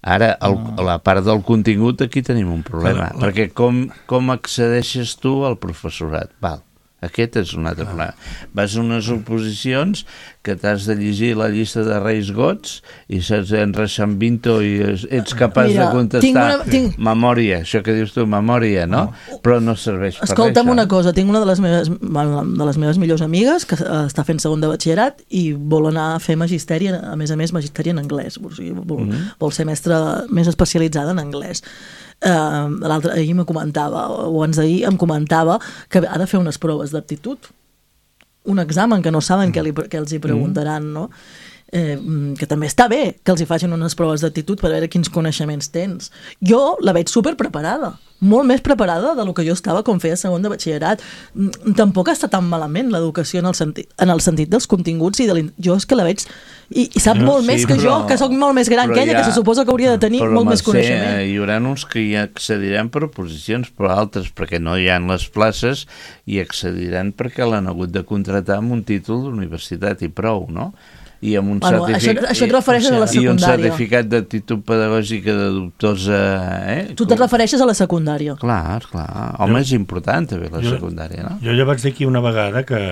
ara el, la part del contingut aquí tenim un problema, la, la... perquè com, com accedeixes tu al professorat? Val. Aquest és un altre problema. Vas a unes oposicions que t'has de llegir la llista de Reis Gots i saps en Reixambinto i ets capaç Mira, de contestar tinc una, tinc... memòria, això que dius tu, memòria, no? no. Però no serveix per res. Escolta'm una cosa, tinc una de les meves, de les meves millors amigues que està fent segon de batxillerat i vol anar a fer magisteri, a més a més magisteri en anglès, o sigui, vol, mm-hmm. vol ser mestra més especialitzada en anglès. Uh, l'altre ahir me comentava, o abans d'ahir em comentava que ha de fer unes proves d'aptitud, un examen que no saben què, li, què els hi preguntaran, no? Eh, que també està bé que els hi facin unes proves d'actitud per veure quins coneixements tens. Jo la veig super preparada, molt més preparada del que jo estava quan feia segon de batxillerat. Tampoc està tan malament l'educació en el sentit, en el sentit dels continguts i de jo és que la veig i, i sap no, molt sí, més que però, jo, que sóc molt més gran que ella, ja, que se suposa que hauria de tenir molt més coneixement. Hi haurà uns que hi accediran per oposicions, però altres perquè no hi ha les places i accediran perquè l'han hagut de contratar amb un títol d'universitat i prou, no? I amb un bueno, certific... això, això et refereixes a la secundària. I un certificat d'actitud pedagògica de dubtosa... Eh? Tu te'n refereixes a la secundària. Clar, clar. Home, jo, és important també la jo, secundària, no? Jo ja vaig dir aquí una vegada que,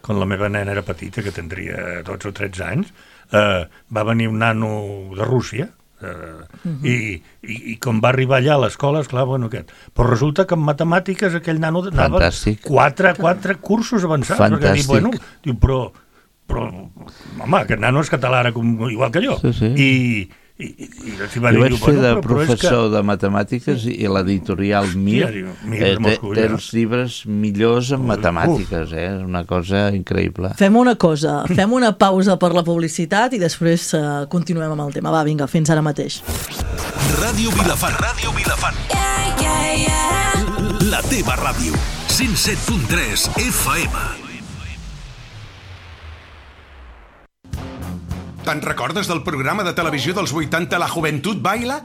quan la meva nena era petita, que tindria dotze o tretze anys, eh, va venir un nano de Rússia, eh, uh-huh. i, i, i quan va arribar allà a l'escola, esclar, bueno, aquest. Però resulta que en matemàtiques aquell nano anava Fantàstic. quatre, quatre cursos avançats. Fantàstic. Diu, bueno, diu, però... però, home, aquest nano és català ara com, igual que jo. Sí, sí. I, i, i, i va jo dir, vaig diu, fer bueno, de però, professor però de matemàtiques sí. i l'editorial Mir sí, diu, Mir eh, té, Moscou, té ja. els llibres millors en matemàtiques, eh? És una cosa increïble. Fem una cosa, fem una pausa per la publicitat i després uh, continuem amb el tema. Va, vinga, fins ara mateix. Ràdio Vilafant, Ràdio Vilafant. Yeah, yeah, yeah. La teva ràdio. cent set punt tres F M. Te'n recordes del programa de televisió dels vuitanta La Joventut Baila?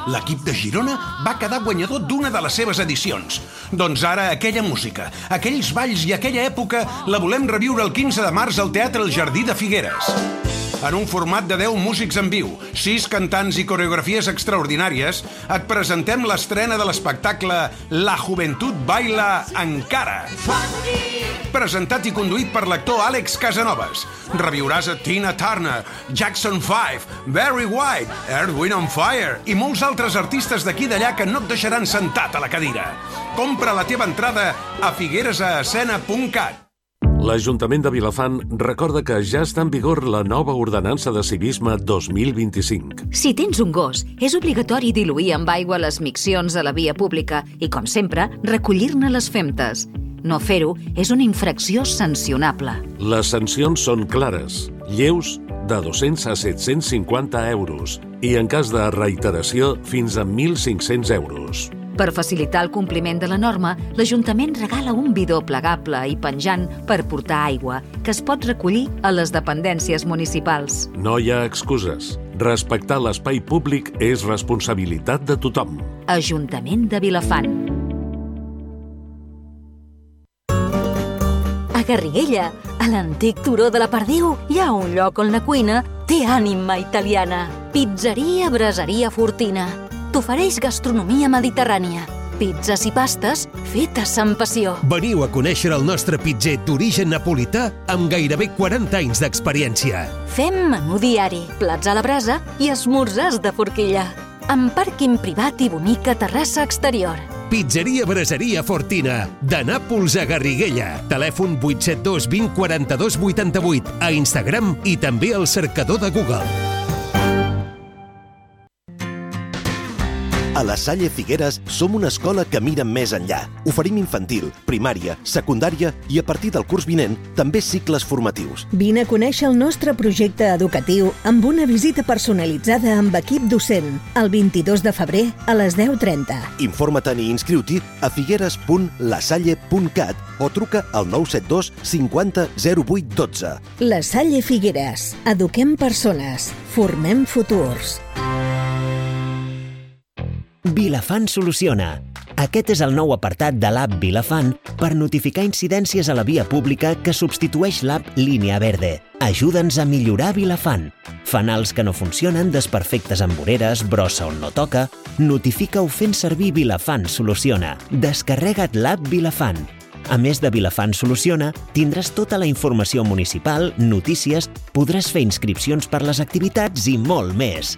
L'equip de Girona va quedar guanyador d'una de les seves edicions. Doncs ara aquella música, aquells balls i aquella època la volem reviure el quinze de març al Teatre El Jardí de Figueres. En un format de deu músics en viu, sis cantants i coreografies extraordinàries, et presentem l'estrena de l'espectacle La Joventut Baila Encara. Presentat i conduït per l'actor Àlex Casanovas. Reviuràs a Tina Turner, Jackson five, Barry White, Earth, Wind and Fire i molts altres artistes d'aquí i d'allà que no et deixaran sentat a la cadira. Compra la teva entrada a figueresescena punt cat. L'Ajuntament de Vilafant recorda que ja està en vigor la nova ordenança de civisme dos mil vint-i-cinc. Si tens un gos, és obligatori diluir amb aigua les miccions a la via pública i, com sempre, recollir-ne les femtes. No fer-ho és una infracció sancionable. Les sancions són clares, lleus de dos-cents a set-cents cinquanta euros i, en cas de reiteració, fins a mil cinc-cents euros. Per facilitar el compliment de la norma, l'Ajuntament regala un bidó plegable i penjant per portar aigua, que es pot recollir a les dependències municipals. No hi ha excuses. Respectar l'espai públic és responsabilitat de tothom. Ajuntament de Vilafant. A Garriguella, a l'antic turó de la Perdiu, hi ha un lloc on la cuina té ànima italiana. Pizzeria Braseria Fortina. T'ofereix gastronomia mediterrània, pizzas i pastes fetes amb passió. Veniu a conèixer el nostre pitzer d'origen napolità amb gairebé quaranta anys d'experiència. Fem menú diari, plats a la brasa i esmorzars de forquilla. Amb pàrquing privat i bonica terrassa exterior. Pizzeria Braseria Fortina, de Nàpols a Garriguella. Telèfon vuit set dos vint quaranta-dos vuitanta-vuit, a Instagram i també al cercador de Google. A la Salle Figueres som una escola que mira més enllà. Oferim infantil, primària, secundària i a partir del curs vinent també cicles formatius. Vine a conèixer el nostre projecte educatiu amb una visita personalitzada amb equip docent el vint-i-dos de febrer a les deu trenta. Informa-te'n i inscriu-t'hi a figueres punt lasalle punt cat o truca al nou set dos cinquanta zero vuit dotze. La Salle Figueres. Eduquem persones. Formem futurs. Vilafant soluciona. Aquest és el nou apartat de l'app Vilafant per notificar incidències a la via pública que substitueix l'app Línia Verde. Ajuda'ns a millorar Vilafant. Fanals que no funcionen, desperfectes amb voreres, brossa on no toca... Notifica-ho fent servir Vilafant Soluciona. Descarrega't l'app Vilafant. A més de Vilafant Soluciona, tindràs tota la informació municipal, notícies, podràs fer inscripcions per les activitats i molt més.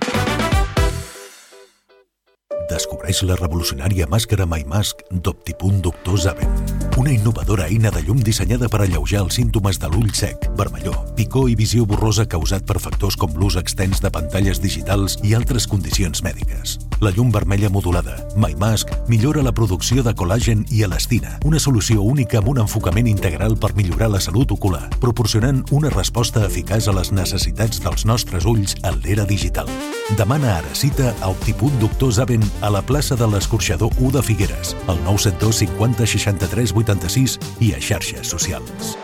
Descobreix la revolucionària màscara MyMask d'Optipunt Doctor Zaven. Una innovadora eina de llum dissenyada per alleujar els símptomes de l'ull sec, vermellor, picor i visió borrosa causat per factors com l'ús extens de pantalles digitals i altres condicions mèdiques. La llum vermella modulada, MyMask, millora la producció de col·làgen i elastina, una solució única amb un enfocament integral per millorar la salut ocular, proporcionant una resposta eficaç a les necessitats dels nostres ulls en l'era digital. Demana ara cita a Optipunt Doctor Zaven a la plaça de l'Escorxador u de Figueres, al nou set dos cinquanta seixanta-tres vuitanta-sis i a xarxes socials.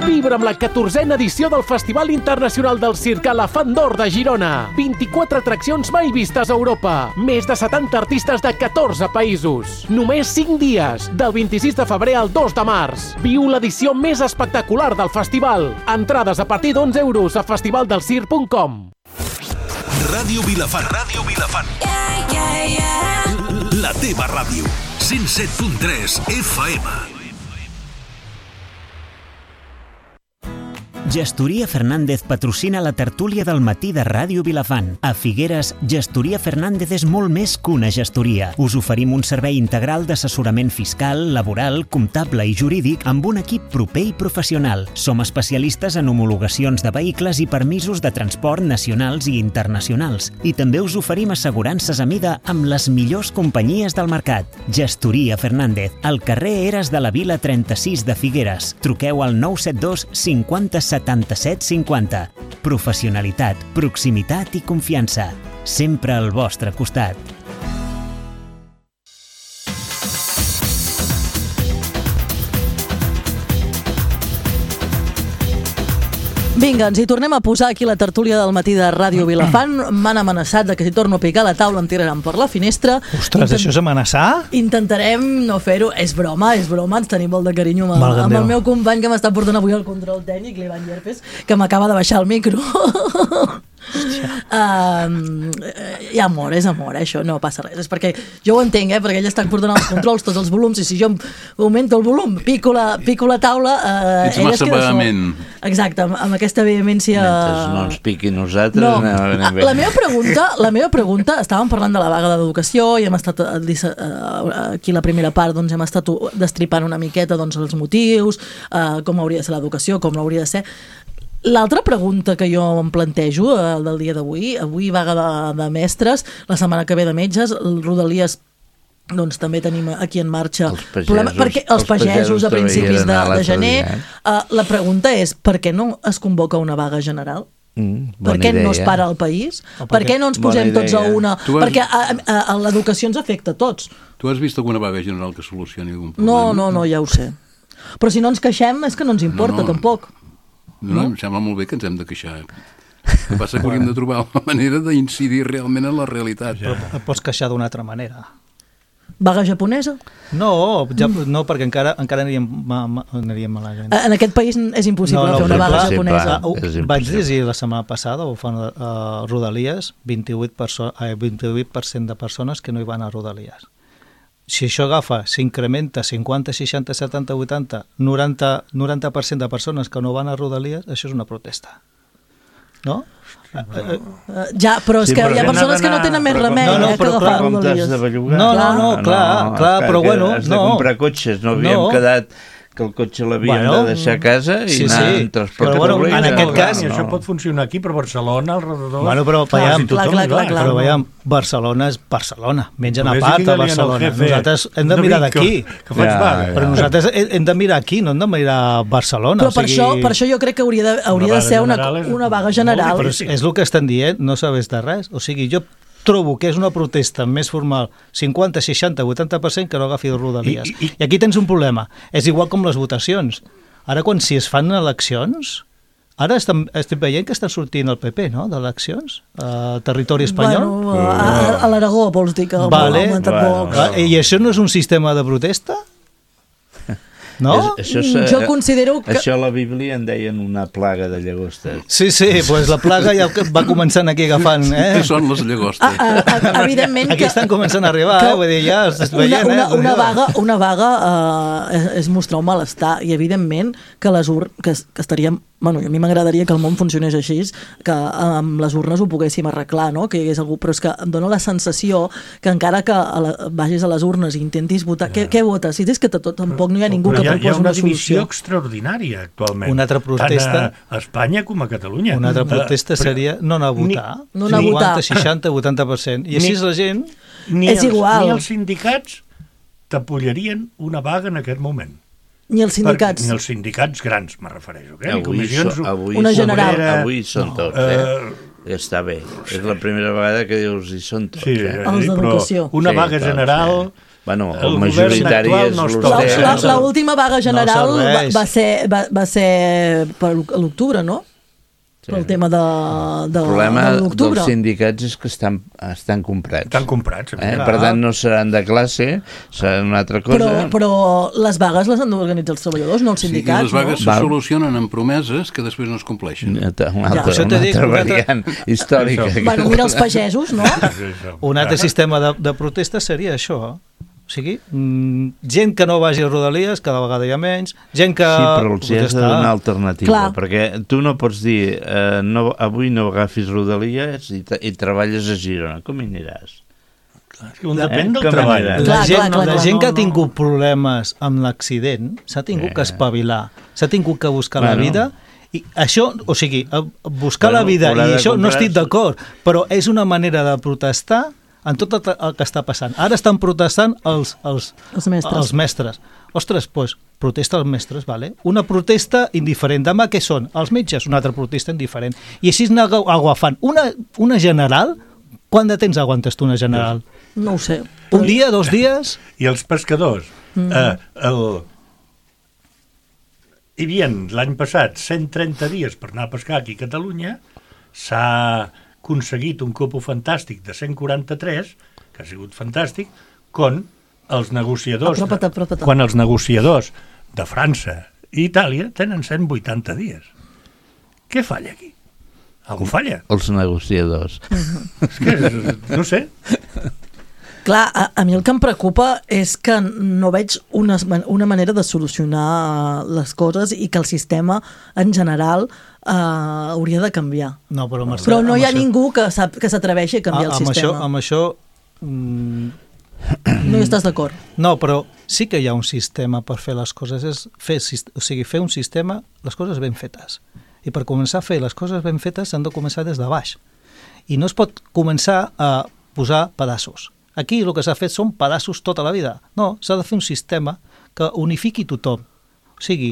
Vibra amb la catorzena edició del Festival Internacional del Circ Elefant d'Or de Girona. vint-i-quatre atraccions mai vistes a Europa. Més de setanta artistes de catorze països. Només cinc dies, del vint-i-sis de febrer al dos de març. Viu l'edició més espectacular del festival. Entrades a partir d'onze euros a festival del circ punt com. Ràdio Vilafant. Ràdio Vilafant. Yeah, yeah, yeah. La teva ràdio. cent set punt tres F M. Gestoria Fernández patrocina la tertúlia del matí de Ràdio Vilafant. A Figueres, Gestoria Fernández és molt més que una gestoria. Us oferim un servei integral d'assessorament fiscal, laboral, comptable i jurídic amb un equip proper i professional. Som especialistes en homologacions de vehicles i permisos de transport nacionals i internacionals. I també us oferim assegurances a mida amb les millors companyies del mercat. Gestoria Fernández, al carrer Eres de la Vila trenta-sis de Figueres. Truqueu al nou set dos cinquanta setanta-set cinquanta. Professionalitat, proximitat i confiança. Sempre al vostre costat. Vinga, ens hi tornem a posar aquí la tertúlia del matí de Ràdio Vilafant. M'han amenaçat de que si torno a picar la taula em tiraran per la finestra. Ostres, Intent... això és amenaçar? Intentarem no fer-ho. És broma, és broma. Ens tenim molt de carinyo amb, el, amb el meu company que m'està portant avui el control tècnic, l'Ivan Llerpes, que m'acaba de baixar el micro. Uh, hi ha amor, és amor, eh, això no passa res, és perquè jo ho entenc, eh, perquè ell està portant els controls, tots els volums, i si jo augmento el volum, pico la, pico la taula, uh, ets massa vehement. Exacte, amb, amb aquesta vehemència. Mentre no ens piqui nosaltres, no. anem bé. La meva pregunta, la meva pregunta, estàvem parlant de la vaga d'educació i hem estat uh, aquí la primera part, doncs hem estat destripant una miqueta doncs, els motius, uh, com hauria de ser l'educació, com l'hauria de ser. L'altra pregunta que jo em plantejo eh, del dia d'avui, avui vaga de, de mestres, la setmana que ve de metges, el Rodalies, doncs també tenim aquí en marxa els pagesos, problema, perquè els, els pagesos, pagesos a principis de, de gener. Uh, la pregunta és, per què no es convoca una vaga general? Mm, per què idea. No es para el país? Per, per què no ens posem tots a una? Has... Perquè a, a, a l'educació ens afecta a tots. Tu has vist alguna vaga general que solucioni algun problema? No, no, no, ja ho sé. Però si no ens queixem és que no ens importa, no, no. tampoc. No, no, em sembla molt bé que ens hem de queixar. El que passa que hauríem de trobar una manera d'incidir realment en la realitat. Però et pots queixar d'una altra manera. Vaga japonesa? No, ja, no perquè encara, encara aniríem, ma, ma, aniríem malament. En aquest país és impossible no, no, fer una vaga clar, japonesa. Uh, vaig dir la setmana passada, ho fan a uh, Rodalies, vint-i-vuit per cent de persones que no hi van a Rodalies. Si això agafa, s'incrementa cinquanta, seixanta, setanta, vuitanta, noranta, noranta per cent de persones que no van a Rodalies, això és una protesta. No? Uh, ja, però és sí, que però hi ha persones que no tenen més remei no, no, eh, que agafar Rodalies. No, no, no, clar, no, no, clar, però bueno... Has de comprar cotxes, no havíem no. quedat que el cotxe l'havien bueno, de deixar a casa i sí, anar sí. en transport però, bueno, públic. En aquest cas... No. Això pot funcionar aquí, però Barcelona, al redador... Bueno, però veiem, clar, clar, clar, clar, però veiem, Barcelona és Barcelona, mengen a Ves part a Barcelona. Nosaltres hem de mirar d'aquí. Que, que ja, ja. Però nosaltres hem de mirar aquí, no hem de mirar Barcelona. Però per, o sigui... això, per això jo crec que hauria de, hauria de ser una, una vaga general. Però és, és el que estan dient, no sabés de res. O sigui, jo trobo que és una protesta més formal cinquanta, seixanta, vuitanta per cent que no agafi Rodalies. I, i, I aquí tens un problema. És igual com les votacions. Ara, quan si es fan eleccions, ara estem, estem veient que està sortint el P P, no?, d'eleccions a territori espanyol. Bueno, a, a l'Aragó, vols dir que vale. ha augmentat bueno, poc. I això no és un sistema de protesta? No? És, això és, jo considero que... Això a la Bíblia en deien una plaga de llagostes. Sí, sí, pues la plaga ja va començant aquí agafant. Eh? Què són les llagostes? Ah, ah, evidentment aquí que... estan començant a arribar, que... eh? Vull dir, ja estàs veient, una, una, eh? Una vaga, una vaga uh, és, és mostrar un malestar i evidentment que les ur... que, que estaríem... Bueno, a mi m'agradaria que el món funcionés així, que amb les urnes ho poguéssim arreglar, no? Que hi hagués algú, però és que em dóna la sensació que encara que a la, vagis a les urnes i intentis votar, què, què votes? Si és que tot, tampoc no hi ha ningú però que proposi una solució. Hi ha una divisió extraordinària actualment. Una altra protesta... Tant a Espanya com a Catalunya. Una altra protesta uh, seria no anar a votar. Ni, no anar a votar. cinquanta, seixanta, vuitanta per cent. I així ni, la gent... Ni és els, igual. Ni els sindicats t'apollarien una vaga en aquest moment. Ni els sindicats. Per, ni els sindicats grans, me refereixo. Eh? Avui, so, avui, una general. Obrera, avui són no. tots, eh? Uh, Està bé. És la primera vegada que dius hi són tots. Sí, eh? Els d'educació. Una sí, vaga general... Sí. Bueno, el, el majoritari és no l'U C. L'última vaga general no va, va, ser, va, va ser per l'octubre, no? Sí. El tema de, de, el problema de l'octubre. dels sindicats és que estan, estan comprats. Estan comprats. Eh? Per tant, no seran de classe, seran una altra cosa. Però, però les vagues les han d'organitzar els treballadors, no els sindicats. Sí, les vagues no? se solucionen amb promeses que després no es compleixen. Una altra, una altra, ja. una altra variant històrica. Bueno, mira els pagesos, no? Un altre sistema de, de protesta seria això, o sigui, mmm, gent que no vagi a Rodalies, cada vegada hi ha menys, gent que... Sí, però els hi has de donar alternativa, Clar. perquè tu no pots dir eh, no, avui no agafis Rodalies i, i treballes a Girona, com hi aniràs? Clar, depèn eh? del treball. La clar, gent, clar, clar, la clar, gent no, que ha no. tingut problemes amb l'accident s'ha tingut eh. que espavilar, s'ha tingut que buscar bueno. la vida. I això, o sigui, buscar bueno, la vida, i això no estic d'acord, però és una manera de protestar en tot el que està passant. Ara estan protestant els, els, els, mestres. els mestres. Ostres, doncs, protesta els mestres, vale? Una protesta indiferent. Demà què són? Els metges, una altra protesta indiferent. I així anar agafant. Una, una general, quant de temps aguantes tu una general? No ho sé. Un dia, dos dies? I els pescadors? Mm. Eh, el... Hi havia l'any passat cent trenta dies per anar a pescar aquí a Catalunya, s'ha aconseguit un cupo fantàstic de cent quaranta-tres, que ha sigut fantàstic, quan els negociadors, apropa't, apropa't. quan els negociadors de França i Itàlia tenen cent vuitanta dies. Què falla aquí? Algú falla? Els negociadors. Uh-huh. És que, no sé... Clar, a, a mi el que em preocupa és que no veig una, una manera de solucionar les coses i que el sistema en general uh, hauria de canviar. No, però, Marcel, però no hi ha això... ningú que, sap, que s'atreveixi a canviar a, el amb sistema. Això, amb això... Mm... No hi estàs d'acord? No, però sí que hi ha un sistema per fer les coses. És fer, o sigui, fer un sistema, les coses ben fetes. I per començar a fer les coses ben fetes s'han de començar des de baix. I no es pot començar a posar pedaços. Aquí el que s'ha fet són pedaços tota la vida. No, s'ha de fer un sistema que unifiqui tothom. O sigui,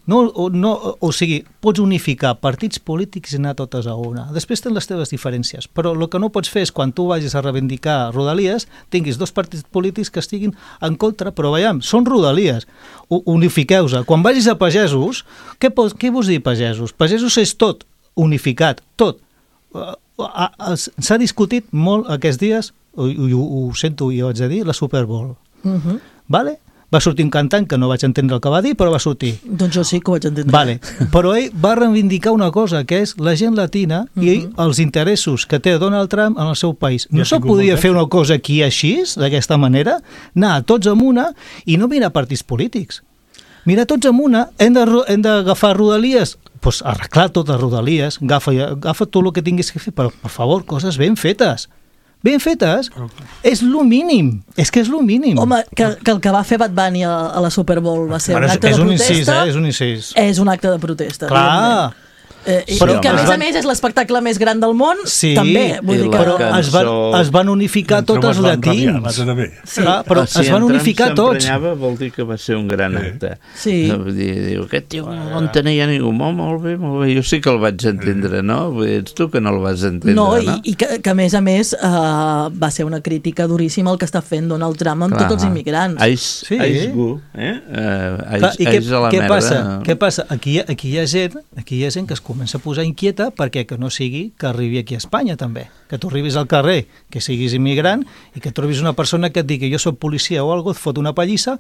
no, no, o sigui, pots unificar partits polítics i anar totes a una. Després tens les teves diferències, però el que no pots fer és quan tu vagis a reivindicar Rodalies, tinguis dos partits polítics que estiguin en contra, però veiem, són Rodalies. Unifiqueu-se. Quan vagis a pagesos, què, pots, què vols dir pagesos? Pagesos és tot, unificat, tot. S'ha discutit molt aquests dies, ho, ho, ho sento i ho vaig a dir, la Super Bowl. Uh-huh. Vale? Va sortir un cantant que no vaig entendre el que va dir, però va sortir. Doncs jo sí que ho vaig entendre. Vale. Però ell va reivindicar una cosa, que és la gent latina uh-huh. i els interessos que té Donald Trump en el seu país. No se podia fer una cosa aquí així, d'aquesta manera, anar tots amb una i no mirar partits polítics. Mirar tots amb una, hem d'agafar Rodalies, doncs arreglar totes Rodalies, agafa, agafa tot el que tinguis que fer, però per favor, coses ben fetes. ben fetes, és lo mínim. És que és lo mínim. Home, que, que el que va fer Bad Bunny a, a la Super Bowl va ser Bueno, un acte és de un protesta. incís, eh? És un incís. És un acte de protesta. Clar. evidentment. Eh, i, Però que a es més van- a més és l'espectacle més gran del món, Sí, també. Vull dir que... però es van, es van unificar tots els llatins. Sí. Clar, però si es van en Trump unificar tots. s'emprenyava, vol dir que va ser un gran acte. Sí. Vull dir, diu, aquest tio no entenia ningú. Molt, molt bé, molt bé. Jo sí que el vaig entendre, no? Vull dir, ets tu que no el vas entendre, No, no? i, i que, que a més a més uh, va ser una crítica duríssima el que està fent Donald Trump amb Clar. tots els immigrants. Ice, Sí. ice gu, eh? Uh, Clar, ice, I què, ice a la què merda. passa? Què passa? Aquí, hi ha- aquí, hi ha gent, aquí hi ha gent que es comença a posar inquieta perquè que no sigui que arribi aquí a Espanya també, que tu arribis al carrer, que siguis immigrant i que trobis una persona que et digui jo soc policia o algo, et fot una pallissa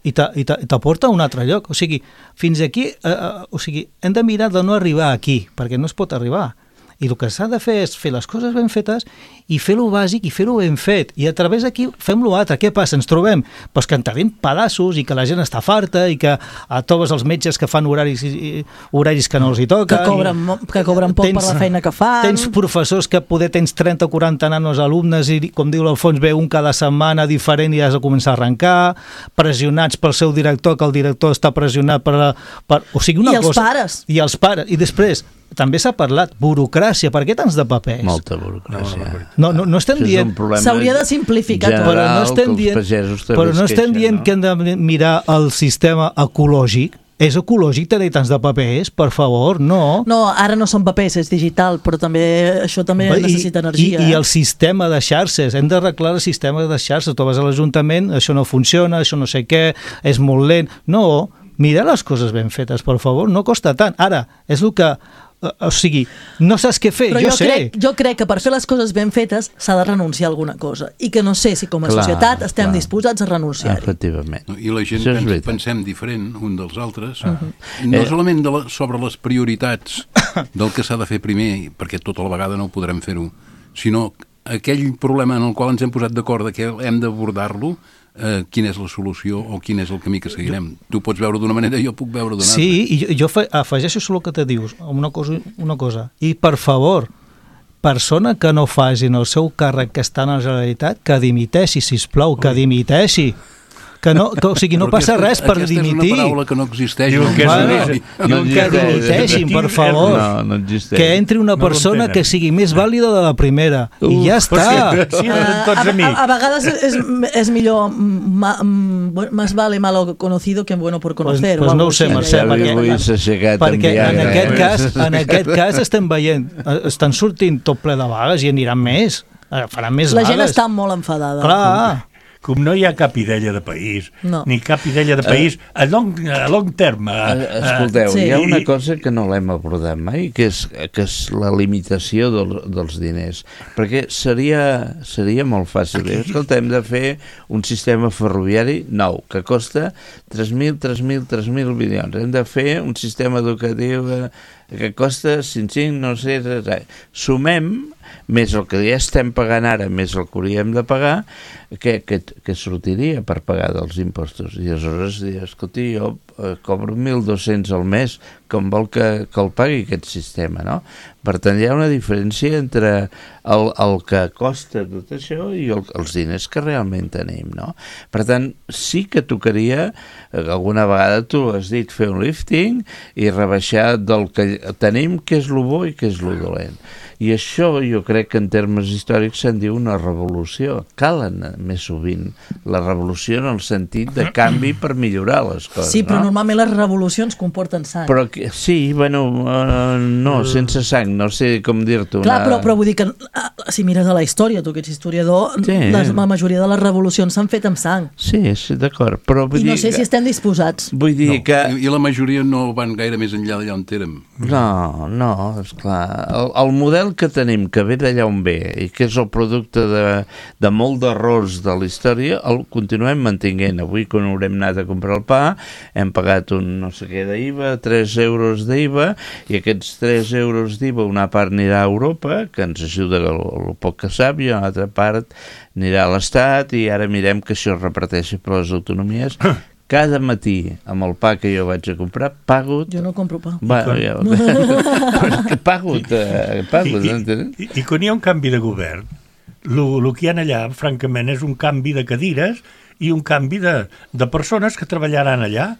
i te- i te- i t'aporta a un altre lloc. O sigui, fins aquí, eh, eh, o sigui, hem de mirar de no arribar aquí, perquè no es pot arribar. I el que s'ha de fer és fer les coses ben fetes i fer-lo bàsic i fer-ho ben fet. I a través d'aquí fem l'altre. Què passa? Ens trobem pues, que en tenim pedaços i que la gent està farta i que a tots els metges que fan horaris, i, horaris que no els hi toquen. Que cobren, mo- que cobren poc per la feina que fan. Tens professors que poder tens trenta o quaranta nanos alumnes i, com diu l'Alfons, ve un cada setmana diferent i has de començar a arrencar, pressionats pel seu director, que el director està pressionat per... la- per o sigui, una I els cosa, pares. I els pares. I després, també s'ha parlat, burocràcia, per què tants de papers? Molta burocràcia. No, no, no estem Això és dient... un problema S'hauria de simplificar tot. general Però no estem que els dient, pagesos també però no es estem queixen, dient no? que hem de mirar el sistema ecològic. És ecològic tenir tants de papers? Per favor, no. No, ara no són papers, és digital, però també això també I, necessita energia. I, I eh? el sistema de xarxes, hem d'arreglar el sistema de xarxes. Tu vas a l'Ajuntament, això no funciona, això no sé què, és molt lent. No, mira les coses ben fetes, per favor, no costa tant. Ara, és el que... O sigui, no saps què fer, Però jo, jo, sé. crec, jo crec que per fer les coses ben fetes s'ha de renunciar a alguna cosa i que no sé si com a Clar, societat estem clar. disposats a renunciar-hi. Efectivament. I la gent Això és pens, veritat. pensem diferent un dels altres, Mhm. no Eh. solament de la, sobre les prioritats del que s'ha de fer primer, perquè tota la vegada no ho podrem fer-ho, sinó aquell problema en el qual ens hem posat d'acord de que hem d'abordar-lo, eh, quina és la solució o quin és el camí que seguirem. Tu pots veure d'una manera, jo puc veure d'una altra. Sí, i jo, jo fa- afegeixo solo el que te dius, una cosa, una cosa. I, per favor, persona que no facin el seu càrrec que està en la Generalitat, que dimiteixi, sisplau, que dimiteixi. Que no, que, o sigui, no Però passa aquesta- res per aquesta dimitir. és una paraula que no existeix. Diu no? que és Bueno, una- diuen que dimiteixin, per favor. No, no existeix. Que entri una No persona l'entenen. que sigui més vàlida de la primera. I ja Però està. sí, sí, Ah, tots a, a mi. a, a vegades és, és millor ma, mm, más vale malo conocido que bueno por conocer. Pues o no algo ho sé, així. Mercè, Ja perquè- avui s'ha aixecat Perquè en en Viagra, aquest, eh? cas, en aquest cas estem veient, eh, estan sortint tot ple de vagues i aniran més. Eh, Faran més La gent vagues. està molt enfadada. Clar. Com no hi ha cap idea de país, No. ni cap idea de país a long, a long terme. Eh, Escolteu, Sí. hi ha una cosa que no l'hem abordat mai, que és, que és la limitació del, dels diners. Perquè seria, seria molt fàcil. Dir, escolta, hem de fer un sistema ferroviari nou, que costa tres mil, tres mil, tres mil milions. Hem de fer un sistema educatiu eh, que costa cinc-cinc, no sé, res, res. Sumem més el que ja estem pagant ara, més el que hauríem de pagar, que, que, que sortiria per pagar dels impostos. I aleshores dir, escolti, jo eh, cobro mil dos-cents al mes, com vol que, que el pagui aquest sistema, no? Per tant, hi ha una diferència entre el, el que costa tot això i el, els diners que realment tenim, no? Per tant, sí que tocaria, eh, alguna vegada tu has dit, fer un lifting i rebaixar del que tenim, què és lo bo i què és lo dolent. I això jo crec que en termes històrics se'n diu una revolució. Cal anar més sovint la revolució en el sentit de canvi per millorar les coses, Sí, però no? normalment les revolucions comporten sang. Però que, sí, bueno, uh, no, sense sang, no sé com dir-t'ho. Clar, una- però, però vull dir que ah, si mires a la història, tu que ets historiador, Sí. les, la majoria de les revolucions s'han fet amb sang. Sí, sí, d'acord, però vull I no dir sé que... si estem disposats. Vull dir No, que... I, I la majoria no van gaire més enllà d'allà on érem. No, no, esclar. El, el model que tenim, que ve d'allà on ve, i que és el producte de, de molt d'errors de la història, el continuem mantinguent. Avui, quan haurem anat a comprar el pa, hem pagat un no sé què d'I V A, tres euros d'I V A, i aquests tres euros d'I V A, una part anirà a Europa, que ens ajuda el, el poc que sap, i una altra part anirà a l'Estat, i ara mirem que això es reparteixi per les autonomies. Cada matí, amb el pa que jo vaig a comprar, pago... Jo no compro pa. Va, ja, però és que pago, eh, pago, I, no entenem? i, i quan hi ha un canvi de govern, el que hi ha allà, francament, és un canvi de cadires i un canvi de, de persones que treballaran allà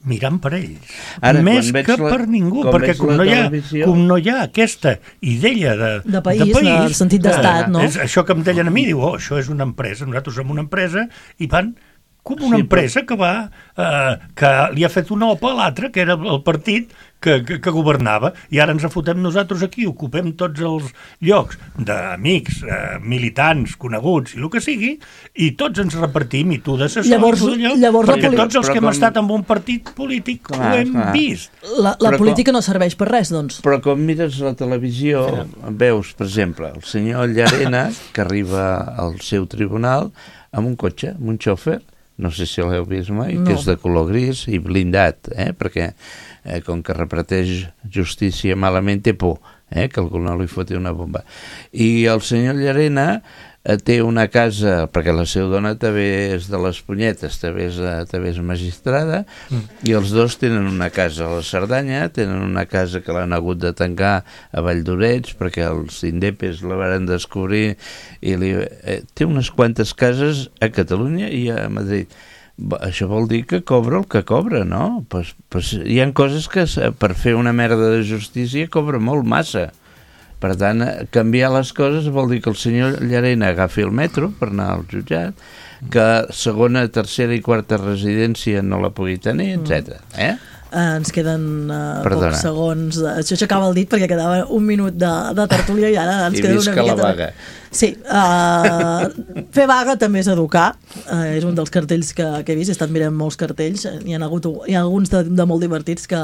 mirant per ells. Ara, més que la, per ningú, perquè com no, ha, com no hi ha aquesta idea de, de país, de, país, de sentit d'estat, no? És això que em deien a mi, diu, oh, això és una empresa, nosaltres som una empresa, i van com una sí, empresa però... que va eh, que li ha fet una opa a l'altre, que era el partit que, que, que governava, i ara ens afotem nosaltres aquí, ocupem tots els llocs d'amics, eh, militants, coneguts, i el que sigui, i tots ens repartim, i tu d'assessor, llavors, i tu d'allò, llavors perquè poli... tots els però que hem com... estat en un partit polític clar, ho hem clar. vist. La, la política com... no serveix per res, doncs. Però com mires la televisió, sí. veus, per exemple, el senyor Llarena, que arriba al seu tribunal amb un cotxe, amb un xòfer, no sé si l'heu vist mai, no. que és de color gris i blindat, eh? perquè eh, com que reparteix justícia malament té por, eh? que algú no li foti una bomba. I el senyor Llarena eh, té una casa, perquè la seva dona també és de les punyetes, també és, també és magistrada, mm. i els dos tenen una casa a la Cerdanya, tenen una casa que l'han hagut de tancar a Valldoreix, perquè els indepes la van descobrir, i li, eh, té unes quantes cases a Catalunya i a Madrid. Això vol dir que cobra el que cobra, no? Pues, pues hi ha coses que per fer una merda de justícia cobra molt massa. Per tant, canviar les coses vol dir que el senyor Llarena agafi el metro per anar al jutjat, que segona, tercera i quarta residència no la pugui tenir, etcètera. Eh? Uh, ens queden uh, pocs segons. Això s'acaba el dit perquè quedava un minut de, de tertúlia i ara ens I queda una visca miqueta... la vaga. Sí, uh, fer vaga també és educar, uh, és un dels cartells que, que he vist, he estat mirant molts cartells, hi ha, hagut, hi ha alguns de, de molt divertits que,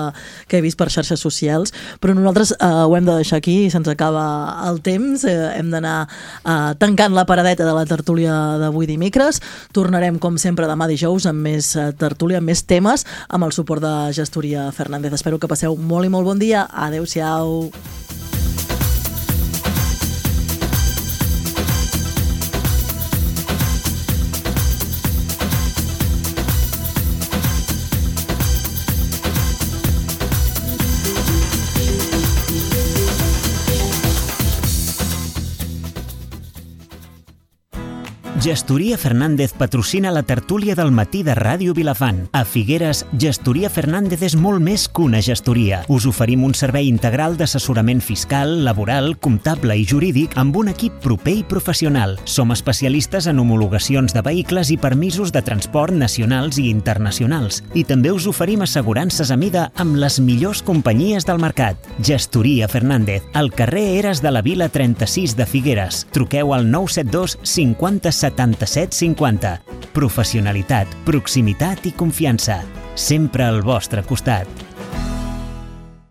que he vist per xarxes socials, però nosaltres uh, ho hem de deixar aquí, se'ns acaba el temps, uh, hem d'anar uh, tancant la paradeta de la tertúlia d'avui dimecres, tornarem com sempre demà dijous amb més uh, tertúlia, amb més temes, amb el suport de Gestoria Fernández. Espero que passeu molt i molt bon dia, adeu-siau. Gestoria Fernández patrocina la tertúlia del matí de Ràdio Vilafant. A Figueres, Gestoria Fernández és molt més que una gestoria. Us oferim un servei integral d'assessorament fiscal, laboral, comptable i jurídic amb un equip proper i professional. Som especialistes en homologacions de vehicles i permisos de transport nacionals i internacionals. I també us oferim assegurances a mida amb les millors companyies del mercat. Gestoria Fernández, al carrer Eres de la Vila trenta-sis de Figueres. Truqueu al nou set dos cinquanta setanta-set cinquanta. Professionalitat, proximitat i confiança. Sempre al vostre costat.